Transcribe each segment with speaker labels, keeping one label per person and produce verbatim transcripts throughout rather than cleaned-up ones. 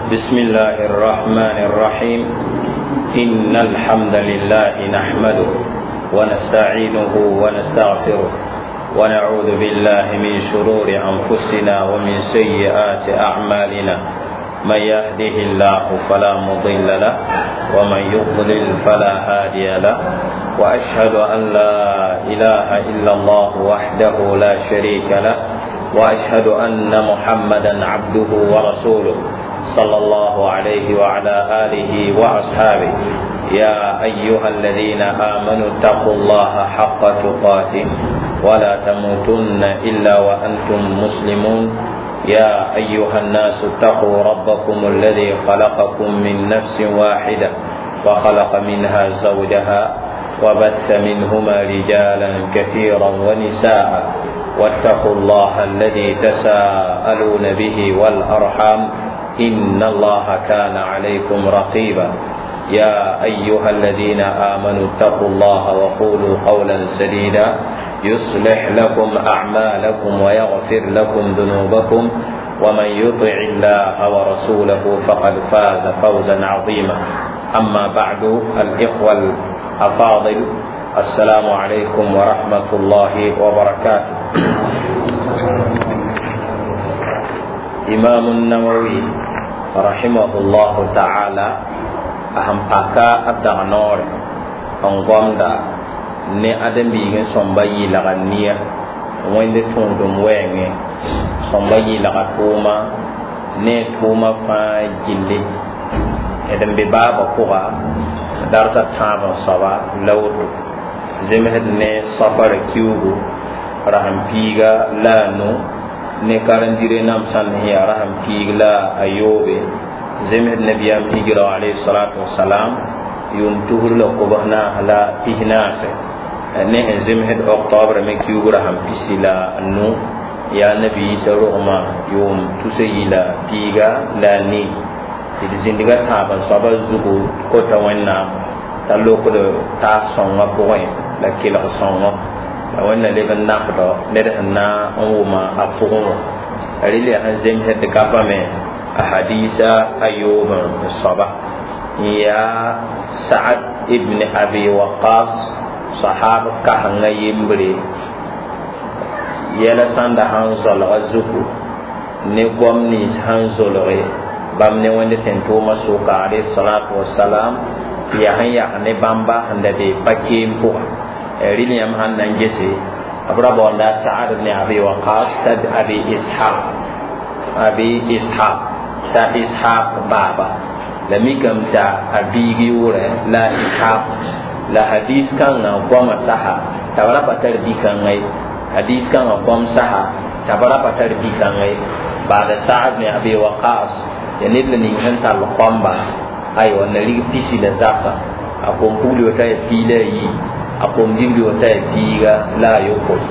Speaker 1: بسم الله الرحمن الرحيم. إن الحمد لله نحمده ونستعينه ونستغفره ونعوذ بالله من شرور أنفسنا ومن سيئات أعمالنا. من يهده الله فلا مضل له ومن يضلل فلا هادي له، وأشهد أن لا إله إلا الله وحده لا شريك له، وأشهد أن محمدا عبده ورسوله صلى الله عليه وعلى آله وأصحابه. يا أيها الذين آمنوا اتقوا الله حق تقاته ولا تموتن إلا وأنتم مسلمون. يا أيها الناس اتقوا ربكم الذي خلقكم من نفس واحدة وخلق منها زوجها وبث منهما رجالا كثيرا ونساء، واتقوا الله الذي تساءلون به والأرحام إن الله كان عليكم رقيبا. يا أيها الذين آمنوا اتقوا الله وقولوا قولا سديدا يصلح لكم أعمالكم ويغفر لكم ذنوبكم، ومن يطع الله ورسوله فقد فاز فوزا عظيما. أما بعد، الإخوة الأفاضل، السلام عليكم ورحمة الله وبركاته. إمام النووي رحمه الله تعالى أهم أكا أدغنور أنغمدا ne adambiigẽ sõmba yɩɩlga nia wẽnd tũudum wɛɛngẽ sõmba yɩɩlga tʋʋma ne tʋʋma fãa gilli d n be baabã pʋga darsa tãab n soaba la woto zemsd ne safara kiugu rasem piiga la a nu ne karen-dire nam sãnd sẽn yaa rasem piig la a yoobe zemsd nabiyaam hijra alayhi salatu wasalam yʋʋm tusr la kobs naas la pis naase ne sẽn zemsd octobre me kiugu rasem pisi la nu yaa nabi Isa rogmã yʋʋm tusa yi la piiga la a nii d zĩndga tãab n soaba zugu kota Wẽnnaam t'a lokd taas sõngã pʋgẽ la kelg sõngõ la Wẽnna leb n nafdɔ ned sẽn na n wʋma a pʋgẽ wã rel yaa sẽn zemsd gafame a hadiisa a yoob n soaba n yaa Sa'ad ibn Abi Waqas sahab kasengã yembre yɛla sãnda sãn zolga zugu ne goam nins sãn zolge bãmb ne Wẽnd tẽn-tʋʋmã sʋka alayhi salatu wasalam yaa sẽn yak ne bãmba sẽn da be pa-keem pʋga rɩl yãmb sãn na n gese b ra baoonda Sa'ad ibn Abi Waqas t'a Abi Ishaq Abi Ishaq t'a Ishaq baaba la mikame t'a a biig yʋʋrɛ la Ishaq la hadis kãngã goamã saha t'a b ra pa tar bi-kãngã ye hadis kãngã goam saha t'a b ra pa tar bi-kãngã ye baada Sa'ad ibn Abi Waqas ya ned la ning sẽn tall kõmba aywa na rig pisi la zaka a kom pugli wa t'a ya pii la a yi a kom dibli wa t'a ya piiga la a yopoe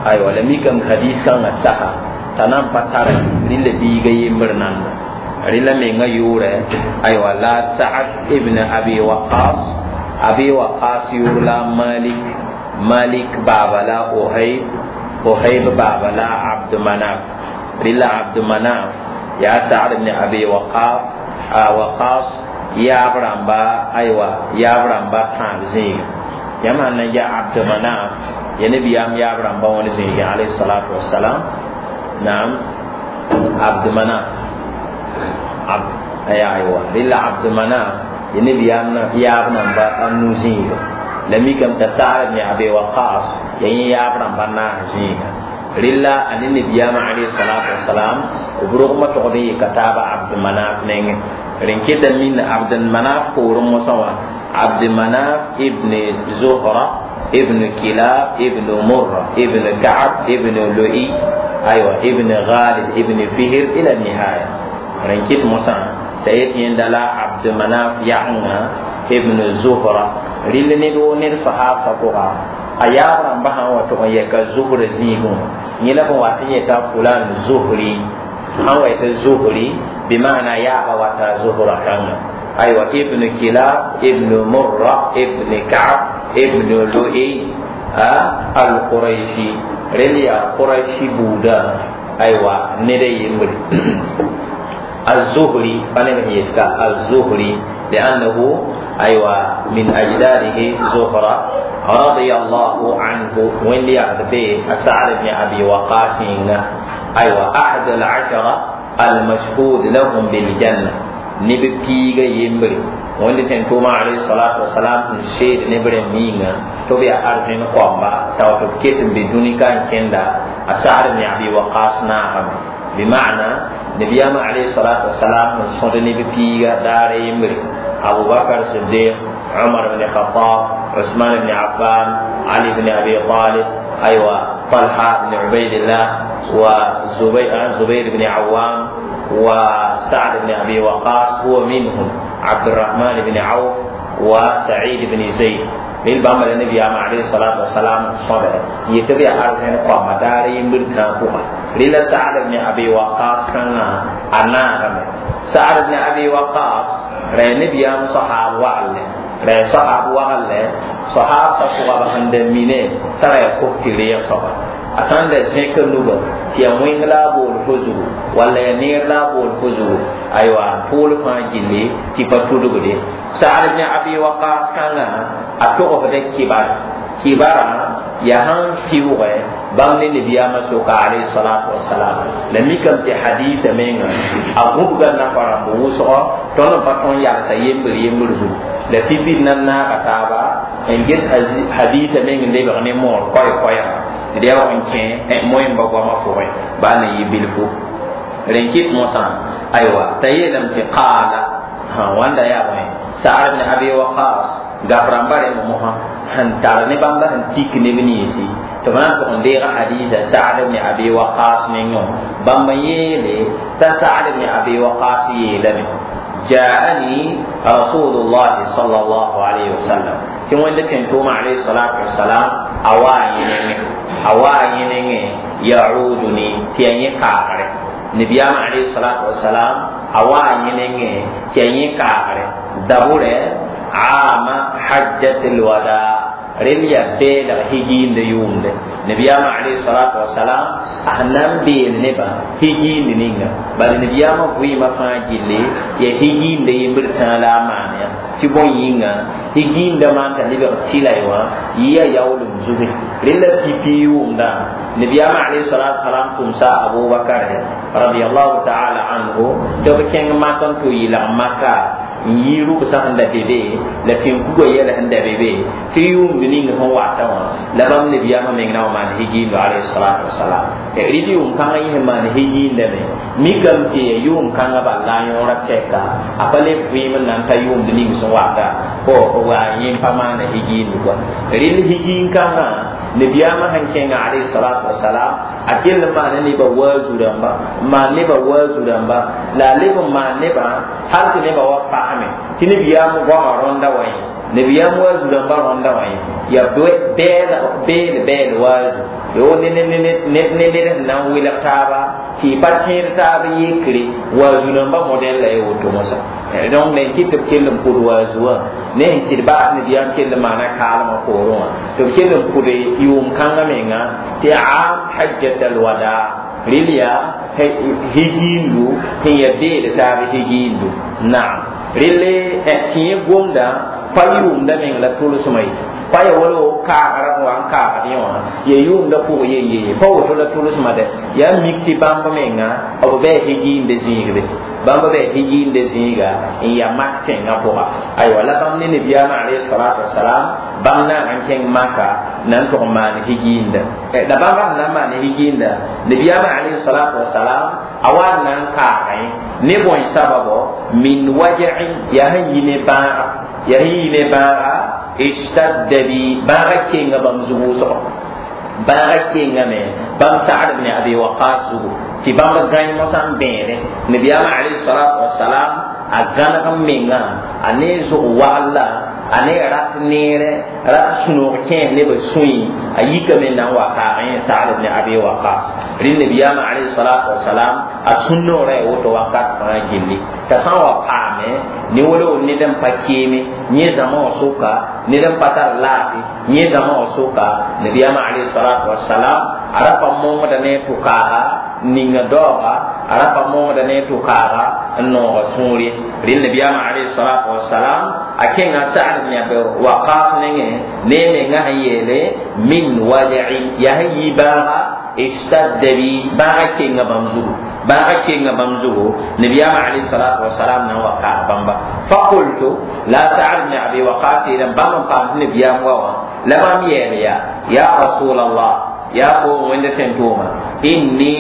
Speaker 1: aywa la mikame hadis kãngã saha t'a na n pa tare rɩla biiga yembr nanda rɩla menga yʋʋrɛ aywa la Sa'ad ibn Abi Waqas Abi Waqas yʋʋr la Malik Malik baaba la Ohayb Ohayb baaba la Abd Manaf rɩla Abd Manaf yaa Sa'ad ibn Abi Waqas a Waqas yaab rãmba aywa yaab rãmba tãab zĩiga yãmb sãn na n yaa Abd Manaf ya nabiyaam yaab rãmba wãn zĩige alayhi salatu wasalam naam Abd Manaf ab aywa rɩla Abd Manaf ya nabiyaam yaab namba a nu zĩiga la mikame t'a Sa'ad ibn Abi Waqas ya yẽ yaab rãmba naas zĩiga rɩla a ne nabiyaamã alayhi salatu wasalam b rogmã togd n yɩka taaba Abd Manaf nengẽ rẽn keta min Abd Manaf poorẽ mosã wã Abd Manaf ibn Zuhra ibn Kilab ibn Murra ibn Ka'ab ibn Lu'i aywa ibn Ghalib ibn Fihr ila nihaya rẽn ket mosã t'a yet yẽnda la Abd Manaf yagenga ibn Zuhra rɩl ned woo ned sahaabsã pʋga a yaab rãmba sã n wa tʋg n yɛka Zuhra zĩigẽ wã yẽ la b n wat n yeta fulan Zuhri sãn wa yetɩ Zuhri bɩmaana yaaba wata Zuhra kãngã aywa ibn Kilab ibn Murra ibn Ka'ab ibn Lu'i al-Qurayshi rel yaa Qurayshi buudã aywa ned a yembre الزهري فنبه يتكا الزهري لأنه أيوة من أجداده زهرة رضي الله عنه وين ليعد سعد بن أبي وقاص أيوة أحد العشرة المشهود لهم بالجنة نبي بيغا يمبري wẽnd tẽn tʋʋma alayhi salatu wasalam n seed ne b rẽmb yĩnga tɩ b yaa arzẽn koamba t'a tɩ b ket n be dũni ka n kẽnda a Sa'd ibn Abi Waqas naagame bima'na nabiyama alayhi salatu wasalam n sõd neb piiga daara yembre Abu Bakr Siddiq Umar ibn Khattab Usman ibn Affan Ali ibn Abi Talib aywa Talha ibn Ubaydillah wa Zubayr Zubayr ibn Awam وسعد بن أبي وقاص هو منهم عبد الرحمن بن عوف وسعيد بن زيد للبام النبي عليه الصلاة والسلام صبر يتبع أرسين قام داري مرتا للا سعد بن أبي وقاص كان أنا سعد بن أبي وقاص رأي النبي صحاب وعلى رأي صحاب وعلى صحاب صحاب عند مينه ترى كوكتي لي صحاب a sãn da zẽk nuga tɩ yaa wẽng la a bool fo zugu walla yaa neer la a bool fo zugu aywa pool fãa gilli tɩ pa tudgde Sa'd ibn Abi Waqas kãngã a togsda kibar kibarã yaa sãn fiʋʋgɛ bãmb ne nabiyaamã soka alayhi salatu wasalam la mikame tɩ hadisa menga a gũbga nafa rãmb wʋsgɔ tõnd n pa tõn yalsa yembr yembr zugu la pipi nan naaga taaba n ges hadisa meng n lebg ne moor koɛ-koɛɛga tɩ d yaa wa n kẽ moẽmba goamã pʋgẽ baa na yɩ bilfu rẽn kɩt mosã aywa t'a yeelame tɩ qaala wãnda yaa bõe Sa'd ibn Abi Waqas gaf rãmba rẽmb mosã sẽn tar ne bãmba sẽn tik neb ninsi tɩ b na n tʋg n deega hadisa Sa'd ibn Abi Waqas nengẽ bãmb n yeele t'a Sa'd ibn Abi Waqas yeelame جاءني رسول الله صلى الله عليه وسلم تي وند تنتوما عليه الصلاة والسلام أواينين أواينين يعودني تي كاغري نبيام عليه الصلاة والسلام أواينين تي كاغري دبورة عام حجة الوداع رليا بيل هجين ديوم ده نبيام عليه الصلاة والسلام أهنم بيل نبا هجين نينغا بل نبيام في ما فاجلي يا هجين ده يمبر لا مانيا تبون ينغا هجين ده ما تلبي تلايوا يا ياولم زوجي رلا تبيوم ده نبيام عليه الصلاة والسلام تمسا أبو بكر رضي الله تعالى عنه تبكين ما تنتو إلى مكة yi rʋgsa sẽn da be be la tẽn-kugã yɛl sẽn da be be tɩ yʋʋmd ning sẽn wata wã la bãmb nabiyaamã meng na n maan higiindo alayhi salatu wasalam rɩd yʋʋm-kãngã yẽ sẽn maan higiindame mikame tɩ ya yʋʋm-kãngã bal la a yõora tɛka a pa le vɩɩm n na n ta yʋʋmd ning sẽn wata wa yẽ pa maana higiindo kɔa rɩl higiin-kãngã nabiyaamã sẽn kẽnga alayhi salatu wasalam a kell n maana nebã waazu rãmba n maan nebã waazu rãmba la a leb n maan nebã hal tɩ nebã wa fasme tɩ nabiyaam goamã rõnda wã ye nabiyaam waazu rãmba rõnda wã ye yaa bɛɛl bɛɛl waazu yo ne ne ne ne ne ned sẽn na n welg taaba tɩ y pa tẽed taab yekre waazu rãmba modɛl la ye woto mosã donc nen kɩ tɩ b kell n pʋd waazu wã ne sẽn sɩd baas nabiyaam kell n maana kaalmã poorẽ wã tɩ b kell n pʋd yʋʋm-kãngã menga tɩ am hajjat alwada rɩl yaa higiindu sẽn ya beed taab higiindu naam rɩl tɩ yẽ gomda pa yʋʋmda meng la tʋlsmã ye pa ya wala kaagra wa n kaagd yẽ wã ya yʋʋmda pʋg yen ye pa woto la tʋlsmã dɛ yaa mik tɩ bãmb menga b bɩ higiinde zĩigbe bãmb bɩ higiinde zĩiga n ya mak tẽngã pʋga aywa la bãmb ne nabiyaamã alayhi salatu wasalam bãmb naag n kẽng maka na n tʋg n maan higiinda la bãmb sẽn na n maan higiinda nabiyaamã alayhi salatu wasalam a wa n na n kaagẽ ne bõe sababo min waja'in yaa sẽn yi ne bãaga yaa sẽn yi ne bãaga ishtadda bi bãaga kenga bãmb zug wʋsgo bãaga kengame bãmb Sa'd ibn Abi Waqas zugu tɩ bãmb gãe mosã n bẽede nabiyaamã alayhi salatu wasalam a gãneg n menga a ne zug wagl la a ne rat neere rat sũ-noog kẽes nebã sũy a yikame na n wa kaag yẽ Sa'd ibn Abi Waqas rɩ nabiyaamã alayhi salatu wasalam a sũ-noorã ya woto wakat fãa gilli t'a sã n wa paame ne wolo ned n pa keeme yẽ zãma wã sʋka ned n pa tar laafɩ yẽ zãma wã sʋka nabiyaamã alayhi salatu wasalam a ra pa mongda ne tʋkaaga ninga doga ara pa mongda ne to kaaga n nooga sũur ye rẽnd nabiyaamã alayhi salatu wasalam a kẽnga Sa'd ibn Abi Waqas nengẽ ne menga sẽn yeele min waj'i yaa sẽn yi bãaga ishtadda bi bãaga kenga bãmb zugu bãaga kenga bãmb zugu nabiyaamã alayhi salatu wasalam na n wa kaag bãmba faqultu la Sa'd ibn Abi Waqas yeelame bãmb n paam tɩ nabiyaam wa wã la bãmb yɛɛl yaa ya rasulallah ya ko wẽnde sẽn tʋʋma inni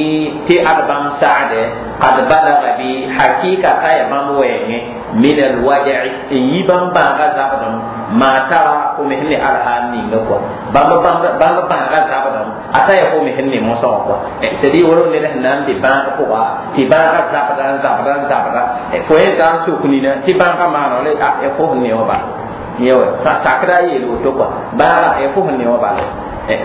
Speaker 1: tɩ ad bãmb sagde qad balaga bi hakika ka ya bãmb wɛɛngẽ min alwaja'i n yi bãmb bãaga zabdem ma tara fo me sẽn ne alhaal ninga kɔa bãmb bãmb bãaga zabdem a ta ya fo me sẽn ne mosã wã kɔa c'est dire wala ned sẽn na n be bãag pʋga tɩ bãaga zabda n zabda n zabda fo yẽ zã n suk nina tɩ bãaga maana la a fo sẽn ne wã bala yẽ wa sakda a yeel woto kɔa bãaga fo sẽn ne wã bala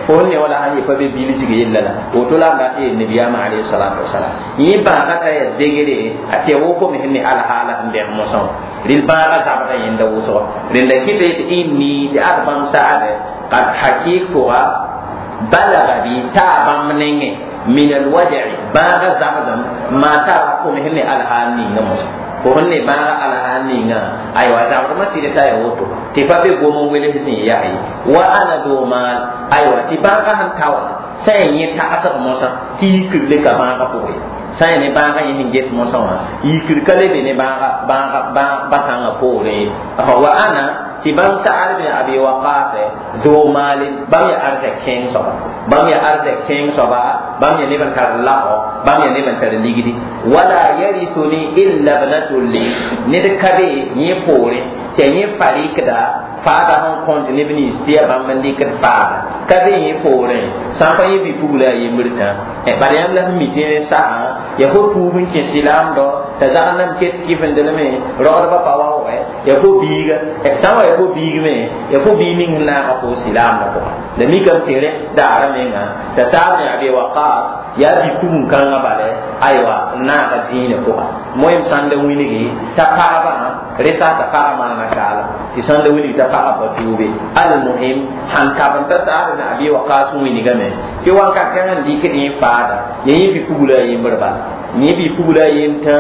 Speaker 1: fo ne wala han ye pa be bilsg yella la woto la n dat yeel nabiyaamã alayhi salatu wasalam yẽ bãaga t'a yaa degre a tɩ ya wo fo me sẽn ne alhaala sẽn bẽg mosã wã rel bãaga zabda yẽnda wʋsgo rẽnda kɩta yetɩ inni tɩ ad bãmb sagde qad hakik pʋga balaga bi taa bãmb nengẽ min alwaja'i bãaga zabdem maa tara fo me sẽn ne alhaal ninga mosã fo sẽn ne bãaga alhaal ninga aywa zabdmã sɩd t'a ya woto tɩ pa be gom n wels sẽn yaa ye wa ana do maal aywa tɩ bãaga sẽn ta wã sã n yẽ tagsg mosã tɩ yikr le ka bãaga pʋgẽ sã n ne bãaga yẽ sẽn get mosã wã yikr ka le be ne bãaga bãaga bãkãngã poorẽ ye wa ana tɩ bãmb Sa'd bin Abi Waqas zo maalin bãmb yaa arzɛk kẽeng soaba bãmb yaa arzɛk kẽeng soaba bãmb yaa neb n tar lagɔ bãmb yaa neb n tar ligdi wala yarithuni illa ibnatun li ned ka be yẽ poorẽ tɩ yẽ fa rɩkda faada sẽn kõnt neb nins tɩ yaa bãmb n dɩkd faada ka be yẽ poorẽ sã n pa yẽ bi-pugla a yembr tã bala yãmb la sẽn mi tɩ sa'a ya fo tuub n kẽ silaamdɔ t'a zag n nam ket kɩfendelme rogdbã pa waoogɛ ya fo biiga sã n wa ya fo biig me ya fo biig ning sẽn naaga fo silaamdã pʋga la mikame tɩ rẽ daara menga t'a Sa'd bin Abi Waqas yaa bi-pugum-kãngã bala aywa n naaga dĩinã pʋga moem sãn da wilgi t'a pagba reta t'a pagã maana kaala tɩ sãn da wilgi t'a pagã pa tuube almuhim sãn kab n ta Sa'd bin Abi Waqas wilgame tɩ wakat kãngã n dɩkd yẽ faada ya yẽ bi-pugla a yembr bala yẽ bi-pugla a yem tã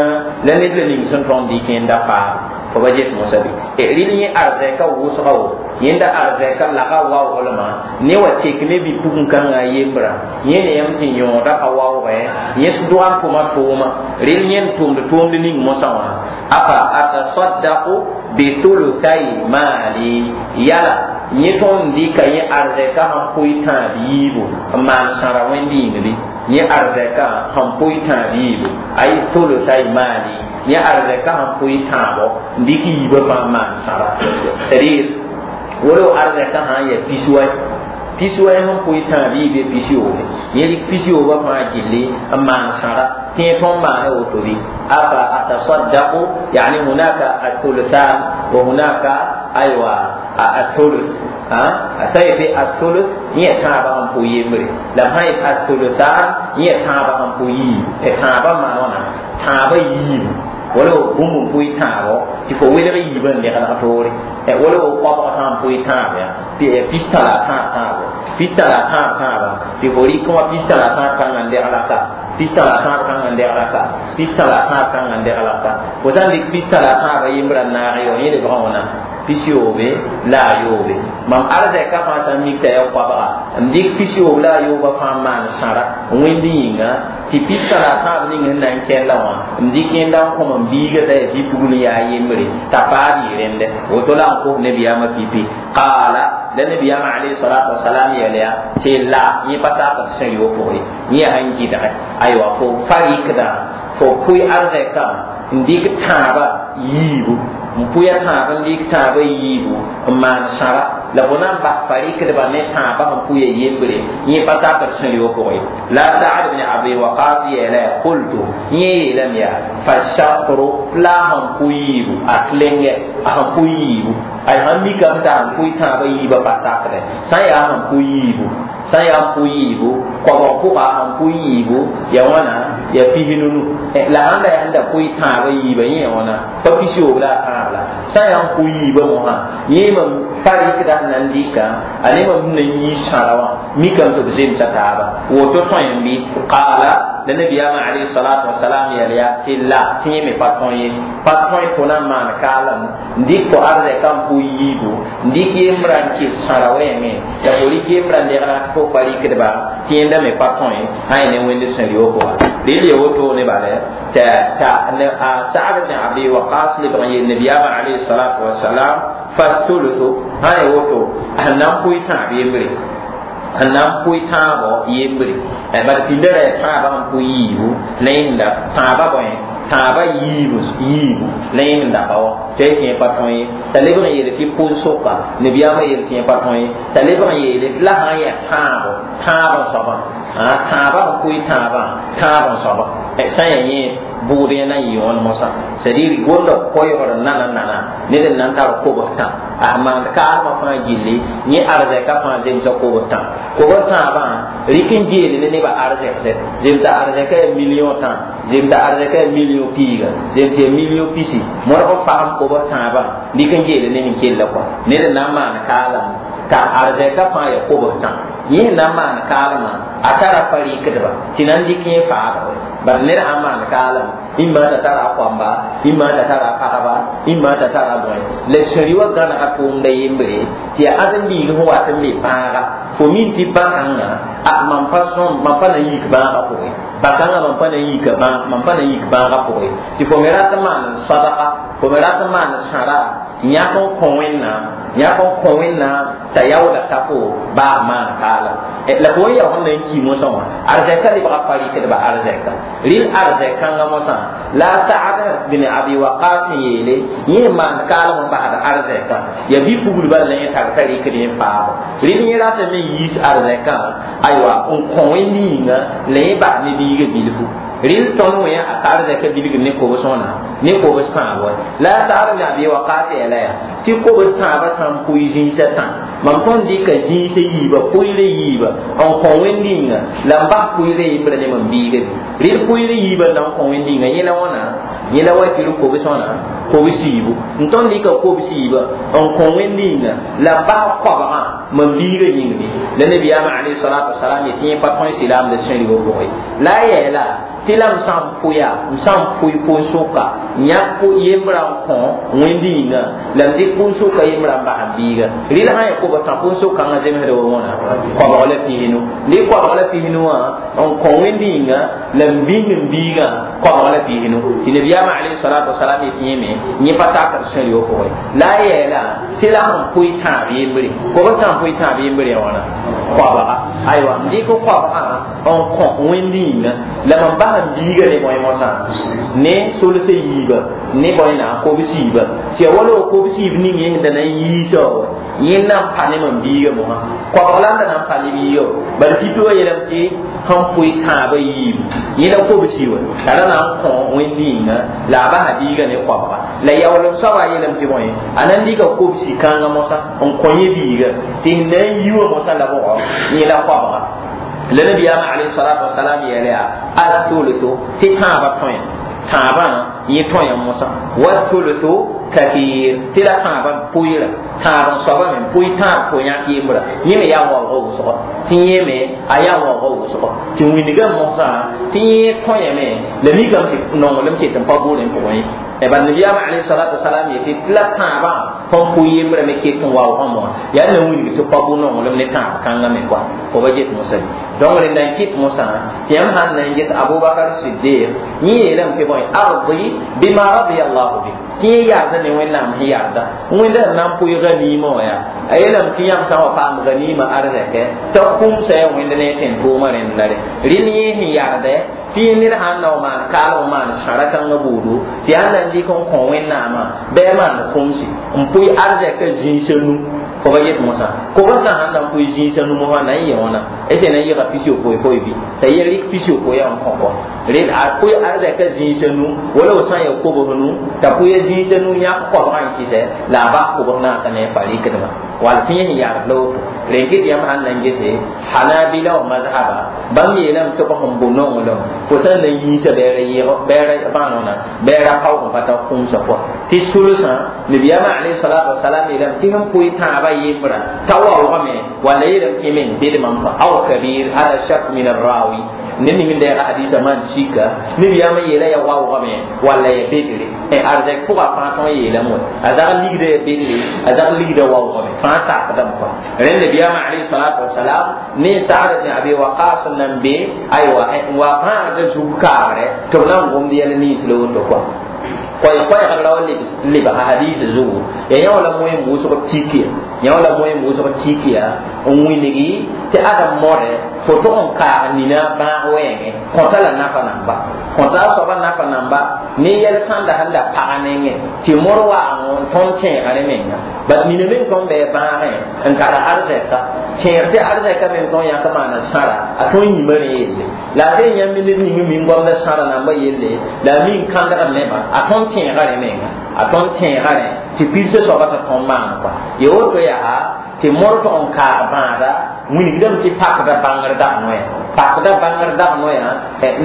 Speaker 1: la ned la ning sẽn tõnd dɩk yẽnda faada fo ba get mosã bɩ rɩl yẽ arzɛka wʋsga wo yẽnda arzɛka laga waooglmã ne wa tek ne bi-pugum-kãngã a yembrã yẽ ne yãmb sẽn yõoda pa waoogɛ yẽ dog n tʋma tʋʋma rɩl yẽnd tʋmd tʋʋmd ning mosã wã afa atasaddaqu bithuluthay maali yala yẽ tõnd dɩka yẽ arzɛka sẽn pʋɩ tãab yiibu n maan sãra wẽnd yĩng bɩ yẽ arzɛka sẽn pʋɩ tãab yiibu ay thuluthay maali yẽ arzɛka sẽn pʋɩ tãabo n dɩk yiibã fãa maan sãra c'est à dire wala arzɛka sã n yaa pis-wɛ pis-wɛ sẽn pʋɩ tãab yiib ya pis-yoobe yẽ dɩk pis-yoobã fãa gilli n maan sãra tɩ yẽ tõnd maana woto bɩ afa atasaddaqu yani hunaka athuluthan wa hunaka aywa athuluth sã yetɩ athuluth yẽ tãabã sẽn pʋ yembre la b sã yet athuluthan yẽ tãabã sẽn pʋ yiib tãabã maan wãna tãabã yiibu wala bũmb n pʋɩ tãabo tɩ fo welg yiibã n lẽglg toore wala koabg sã n pʋɩ tãab ya pistã la a tãab tãabo pistã la a tãab tãaba tɩ fo rɩk wã pistã la a tãab kãngã n degla ka pistã la a tãab kãngã n degla ka pistã la a tãab kãngã n degla ka fo sã n dɩk pistã la a tãabã yembrã n naag yo yẽ lebgã wãna pis-yoobe la a yoobe mam arzɛka fãa sã n mik t'a yaa koabga n dɩk pis-yoob la a yoobã fãa n maan sãra wẽnd yĩnga tɩ pistã la a tãab ning sẽn na n kɛlla wã n dɩk yẽnda n kõ m biiga t'a yaa bi-pugl yaa yembre t'a paad yɩ rẽndɛ woto la n kos nabiyaamã pipi qaala la nabiyaamã alayhi salatu wasalam yɛl yaa tɩ la yẽ pa sakd sẽn yo pʋgẽ yẽ yaa sẽn gɩdgɛ aywa fo fa rɩkdã fo pʋɩ arzɛkã n dɩk tãabã yiibu n pʋya tãab n dɩk tãabã yiibu n maan sãra la fo na n bas fa rɩkdbã ne tãabã sẽn pʋya yembre yẽ pa sakd sẽn yo pʋgẽ la Sa'd bin Abi Waqas yeela yaa qultu yẽ yeelame yaa fa shatru la a sẽn pʋ yiibu a tlengɛ a sẽn pʋ yiibu ay sãn mikame t'a sẽn pʋɩ tãabã yiibã pa sakdɛ sã n yaa sẽn pʋ yiibu sã n yaa n pʋ yiibu koabg pʋga sẽn pʋ yiibu ya wãna ya pis-nunu la sãn da yaa sẽn da pʋɩ tãabã yiibã yẽ ya wãna Pa pisi-yooob la a tãab la sã n yaa n pʋ yiibã mosã yẽ mam pa rɩkda sẽn na n dɩka a ne mam sẽn na n yii sãra wã mikame tɩ b zemsa taaba woto tõe n bɩ qaala la nabiyaamã alayhi salatu wasalam yɛl yaa tɩ la tɩ yẽ me pa tõe ye pa tõe fo na n maan kaalem n dɩk fo arzɛka n pʋ yiibu n dɩk yembrã n kɩs sãra wɛɛngẽ la fo rɩk yembrã n degna tɩ fo pa rɩkdba tɩ yẽnda me pa tõe sã yẽ ne wẽnd sẽn rɩ pʋga rɩl ya woto ne bala t'a Sa'd ibn Abi Waqas lebg n yeel nabiyaamã alayhi salatu wasalam fa thuluthu sã ya woto sẽn na n pʋɩ tãab yembre sẽn na n pʋɩ tãabɔ yembre bad pĩnda ra yaa tãabã sẽn pʋɩ yiibu la yẽnda tãabã bõe tãabã yiibu yiibu la yẽ sẽn daka wã tɩ y kẽ pa tõe ye t'a lebg n yeele tɩ pʋʋn-soka nabiyaamã yeel tɩ yẽ pa tõe ye t'a lebg n yeele tɩ la sã n yaa tãabo tãab n soabã tãabã sẽn pʋɩ tãabã tãab n soabã sã n yaa yẽ bʋʋd yẽ na n yɩ wãn mosã c'est à dire gonda koɛɛgr nana nana ned n na n tar kobs tã a maand kaalmã fãa gilli yẽ arzɛka fãa zemsa kobs tã kobs tãabã rɩk n geele ne nebã arzɛkse zemsa arzɛka yaa million tã zemsa arzɛka yaa million piiga zemsa yaa million pisi modg n fagem kobs tãabã rɩk n geele ne sẽn kella kɔa ned n na n maan kaalem t'a arzɛka fãa yaa kobs tã yẽ sẽn na n maan kaalmã a tara pa rɩkdba tɩ na n dɩk yẽ faadg bad ned sãn maan kaalem imma t'a tara a koamba imma t'a tara a pagba imma t'a tara bõe la sẽri wa gãnega tʋʋmda yembre tɩ yaa ãdem-biig sẽn wat n be bãaga fo min tɩ bã-kãngã a mam pa sõm mam pa na n yik bãagã pʋgẽ bã-kãngã mam pa na n yika mam pa na n yik bãagã pʋgẽ tɩ fo me rat n maan sadaka fo me rat n maan sãra yãk n kõ Wẽnnaam yãk n kõ Wẽnnaam t'a yaooda ta fo baa maan kaalem la fo n yaa sẽn na n ki mosã wã arzɛka lebga pa rɩkdba arzɛka rɩl arzɛk-kãngã mosã la Sa'ad bin Abi Waqas sẽn yeele yẽ maan kaalem n basd arzɛkã yaa bi-puglbã la yẽ tar t'a rɩkd yẽ faabo rɩl yẽ ratame n yiis arzɛkã aywa n kõ wẽnd yĩnga la yẽ bas ne biigã bilfu rɩl tõnd wẽ a ka arzɛka bilgd ne kobs wãna ne kobs tãab wa la Sa'ad bin Abi Waqas yeela yaa tɩ kobs tãabã sã n pʋɩ zĩisã tã mam tõnd dɩka zĩisã yiiba pʋɩɩrã yiiba n kõ wẽnd yĩnga la n bas pʋɩɩrã yembrã ne mam biiga bɩ rɩl pʋɩɩrã yiibã n na n kõ wẽnd yĩnga yẽ la wãna yẽ la wa tɩ rɩ kobs wãna kobs yiibu n tõnd dɩka kobs yiiba n kõ wẽnd yĩnga la n bas koabgã mam biigã yĩng bɩ la nabiyaamã alayhi salatu wasalam yetɩ yẽ pa tõe silaamda sẽn-ribã pʋgẽ la a yeela tɩ la m sã n pʋya m sã n pʋɩ pʋʋn-sʋka yãk yembrã n kõ wẽnd yĩnga la m dɩk pʋʋn-sʋka yembrã n bas n biiga rɩl sã n yaa kobs tã pʋʋn-sʋk-kãngã zemsda wa wãna koabg la pisnu dɩk koabg la pisnu wã n kõ wẽnd yĩnga la m bĩng n biigã koabg la pisnu tɩ nabiyaamã alayhi salatu wasalam yetɩ yẽme yẽ pa takd sẽn-rɩ pʋgẽ la a yeela tɩ la sẽn pʋɩ tãab yembre kobs tã n pʋɩ tãab yembre ya wãna koabga aywa n dɩk koabgã n kõ wẽnd yĩnga la mam bas n biiga ne bõe mosã ne solsã yiiba ne bõe na kobs yiiba tɩ yaa wala kobs yiib ning yẽ sẽn da na n yiisa wa yẽ na n pa ne mam biiga mosã koabg la n da na n pa ne biiga bala pipi wa yeelame tɩ sẽn pʋɩ tãabã yiibu yẽ la kobs yi wa t'a ra na n kõ wẽnd yĩnga la a basa biiga ne koabga la yaoolem soaba yeelame tɩ bõe a na n dɩka kobsi kãngã mosã n kõ yẽ biiga tɩ sẽn na n yi wã mosã la bʋgɔ yẽ la koabga la nabiyaamã alayhi salatu wasalam yeela yaa athuluthu tɩ tãabã tõe tãabã yẽ tõe mosã wathuluthu kathir tɩ la tãabã pʋɩɩra tãab n soaba me pʋɩ tãab fo yãk yembra yẽ me yaa waoogã wʋsgɔ tɩ yẽ me a yaa waoogã wʋsgɔ tɩ wĩndgã mosã tɩ yẽ tõyame la mikame tɩ nonglem ket n pa buudẽ pʋgẽ ye bal nabiyaamã alayhi salatu wasalam yetɩ tɩ la tãabã fõn pʋɩ yembrã me ket n waoogã moa yaa na wilg tɩ pa bʋ nonglem ne tãab kãngã me koa fo ba get mosã donc rẽnda n kɩt mosã tɩ yãmb sãn na n ges Abubakar Siddiq yẽ yeelame tɩ bõe ardi bima radiya allahu bi tɩ yẽ yaarda ne Wẽnnaam sẽn yaarda wẽnda sẽn na n pʋɩ ganima wã yaa a yeelame tɩ yãmb sã n wa paam ganima arzɛkɛ t'a kũmsa yaa wẽnd ne tẽn-tʋʋmã rẽnda re rɩl yẽ sẽn yaarda tɩ yẽ ned sãn na w maan kaalem n maan sãra kãngã buudu tɩ yaa na n dɩk n kõ Wẽnnaamã bɩ a maan kũmsi n pʋɩ arzɛkã zĩisã nu fo ba yet mosã kobs sã sãn na n pʋɩ zĩisã nu mosã na n yẽ wãna tɩ na n yɩga pis-yopoe poe bɩ t'a yel rɩk pis-yopoe yaa n kõ kɔ rel a pʋɩ arzɛka zĩisã nu wala f sã n ya kobs nu t'a pʋɩ zĩisã nu yãk koabgã n kɩsɛ la a bas kobs naasã ne a pa rɩkdmã wall tɩ yẽ sẽn yagd la woto rẽn kɩt yãmb sãn na n gese hanabila wa mazhaba bãmb yeelame tɩ b sẽn bo nonglem fo sã n na n yiisa bɛɛra yɩg bɛɛra bãanona bɛɛra kaoog n pa tar kũmsã pʋga tɩ sulsã nabiyaamã alayhi salatu wasalam yeelame tɩ sẽn pʋɩ tãabã yembra t'a waoogame walla yeelame tɩ meng bedmam aw kabir hada shak min arrawi ned ning n deega hadisa maan sika nabiyaamã yeela ya waoogame walla ya bedre arzɛk pʋga fãa tõn yeelame wa a zag ligda ya bedre a zag ligda waoogame fãa sakdame kɔa rẽnd nabiyaamã alayhi salatu wasalam ne Sa'd ibn Abi Waqas nan be aywa n wa pãagda zug kaagre tɩ b na n gomd yɛl nins la woto kɔa koɛɛ-koɛɛgd ra wa lebga hadis zugu ya yã wala moẽ wʋsg tikiya yã wala moẽ wʋsg tikiya n wilgi tɩ adam modɛ fo tʋg n kaag nina bãag wɛɛngẽ kõta la nafa namba kõta a soaba nafa namba ne yɛl sãnda sẽn da paga nengẽ tɩ mor waango n tõnd tẽega rẽ menga bat nina meng tõnd bɩ bãagẽ n tara arzɛka tẽeg tɩ arzɛka meng tõnd yãk maana sãra a tõnd yĩma rẽ yelle la a sẽn yãmb ned ning min goamda sãra namba yelle la a min kãndgd nebã a tõnd tẽega rẽ menga a tõnd tẽega rẽ tɩ pirsã soaba t'a tõnd maan kɔa ya woto yaa tɩ mor tʋg n kaag bãada wilgdame tɩ pakda bãngr dag noya pakda bãngr dag noya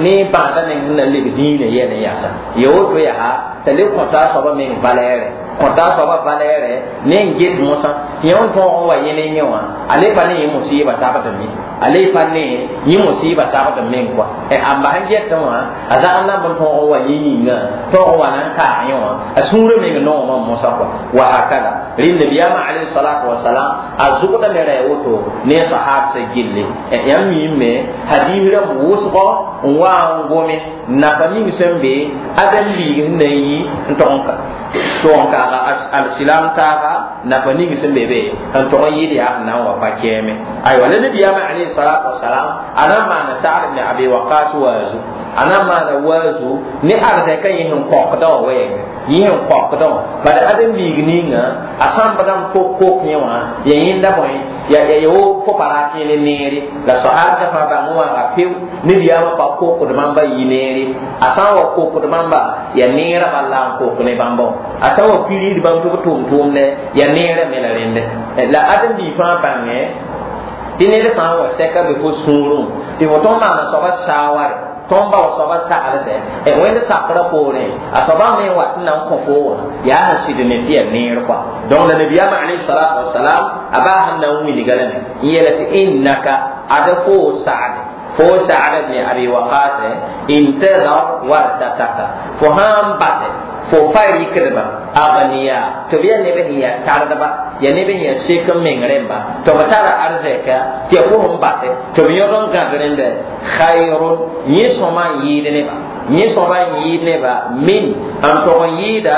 Speaker 1: ne bãada neng sẽn na n leb dĩinã yɛl n yasa ya woto yaa t'a le kõta a soaba meng valɛɛrɛ kõta a soaba valɛɛrɛ ne n get mosã tɩ yẽ n tõog n wa yẽ ne yẽ wã a le pa ne yẽ musɩɩba sagd me a le pa ne yẽ musɩɩba sagd meng kɔa a n bas n getẽ wã a zag n namb n tõog n wa yẽ yĩnga tõog n wa na n kaag yẽ wã a sũurã meng noogmã mosã kɔa wa hakada rẽnd nabiyaamã alayhi salatu wasalam a zʋgdame ra ya woto ne sahabsã gilli yãmb miime hadis rãmb wʋsgɔ n wa n gome nafa ning sẽn be adem liig sẽn na n yi n tog n tog n kaaga alsilam taaga nafa ning sẽn be be n tog n yɩl yaa n na n wa pa kɛɛme aywa la nabiyaamã alayhi salatu wasalam a na n maana Sa'd ibn Abi Waqas waazu a na n maana waazu ne arzɛka yẽ sẽn kõkdã wã wɛɛngẽ yẽ sẽn kõkdã wã bala adem liig ninga a sãmbdã n fo kok yẽ wã ya yẽnda bõe ya ya wo fo pa rat yẽ ne neere la sahabsã fãa bãng waaga peo nabiyaamã pa kokd bãmba yi neere a sã n wa kokd bãmba ya neerã bal la n kok ne bãmba wã a sã n wa pirid bãmb tɩ b tʋʋm tʋʋmdɛ ya neerã me la rẽndɛ la adem bii fãa bãngẽ tɩ ned sã n wa sɛka be fo sũurẽ tɩ fo tõnd maana soaba saaware tõnd ba wa soaba saglsɛ wẽnd sakrã poorẽ a soaba me n wat n na n kõ fo wã yaa sẽn sɩd ne tɩ yaa neer kɔa donc la nabiyaamã alayhi salatu wasalam a baa sẽn na n wilga lame n yeela tɩ innaka ad fo Sa'd fo Sa'd ibn Abi Waqas intadar wartataka fo sãn basɛ fo pa rɩkdba agniya tɩ b yaa neb sẽn yaa tardba yaa neb sẽn yaa sek n meng rẽmba tɩ b tara arzɛka tɩ ya fo sẽn basɛ tɩ b yõd n gãd rẽndɛ khayrun yẽ sõma n yɩɩd neba yẽ sõma n yɩɩd neba min n tog n yɩɩda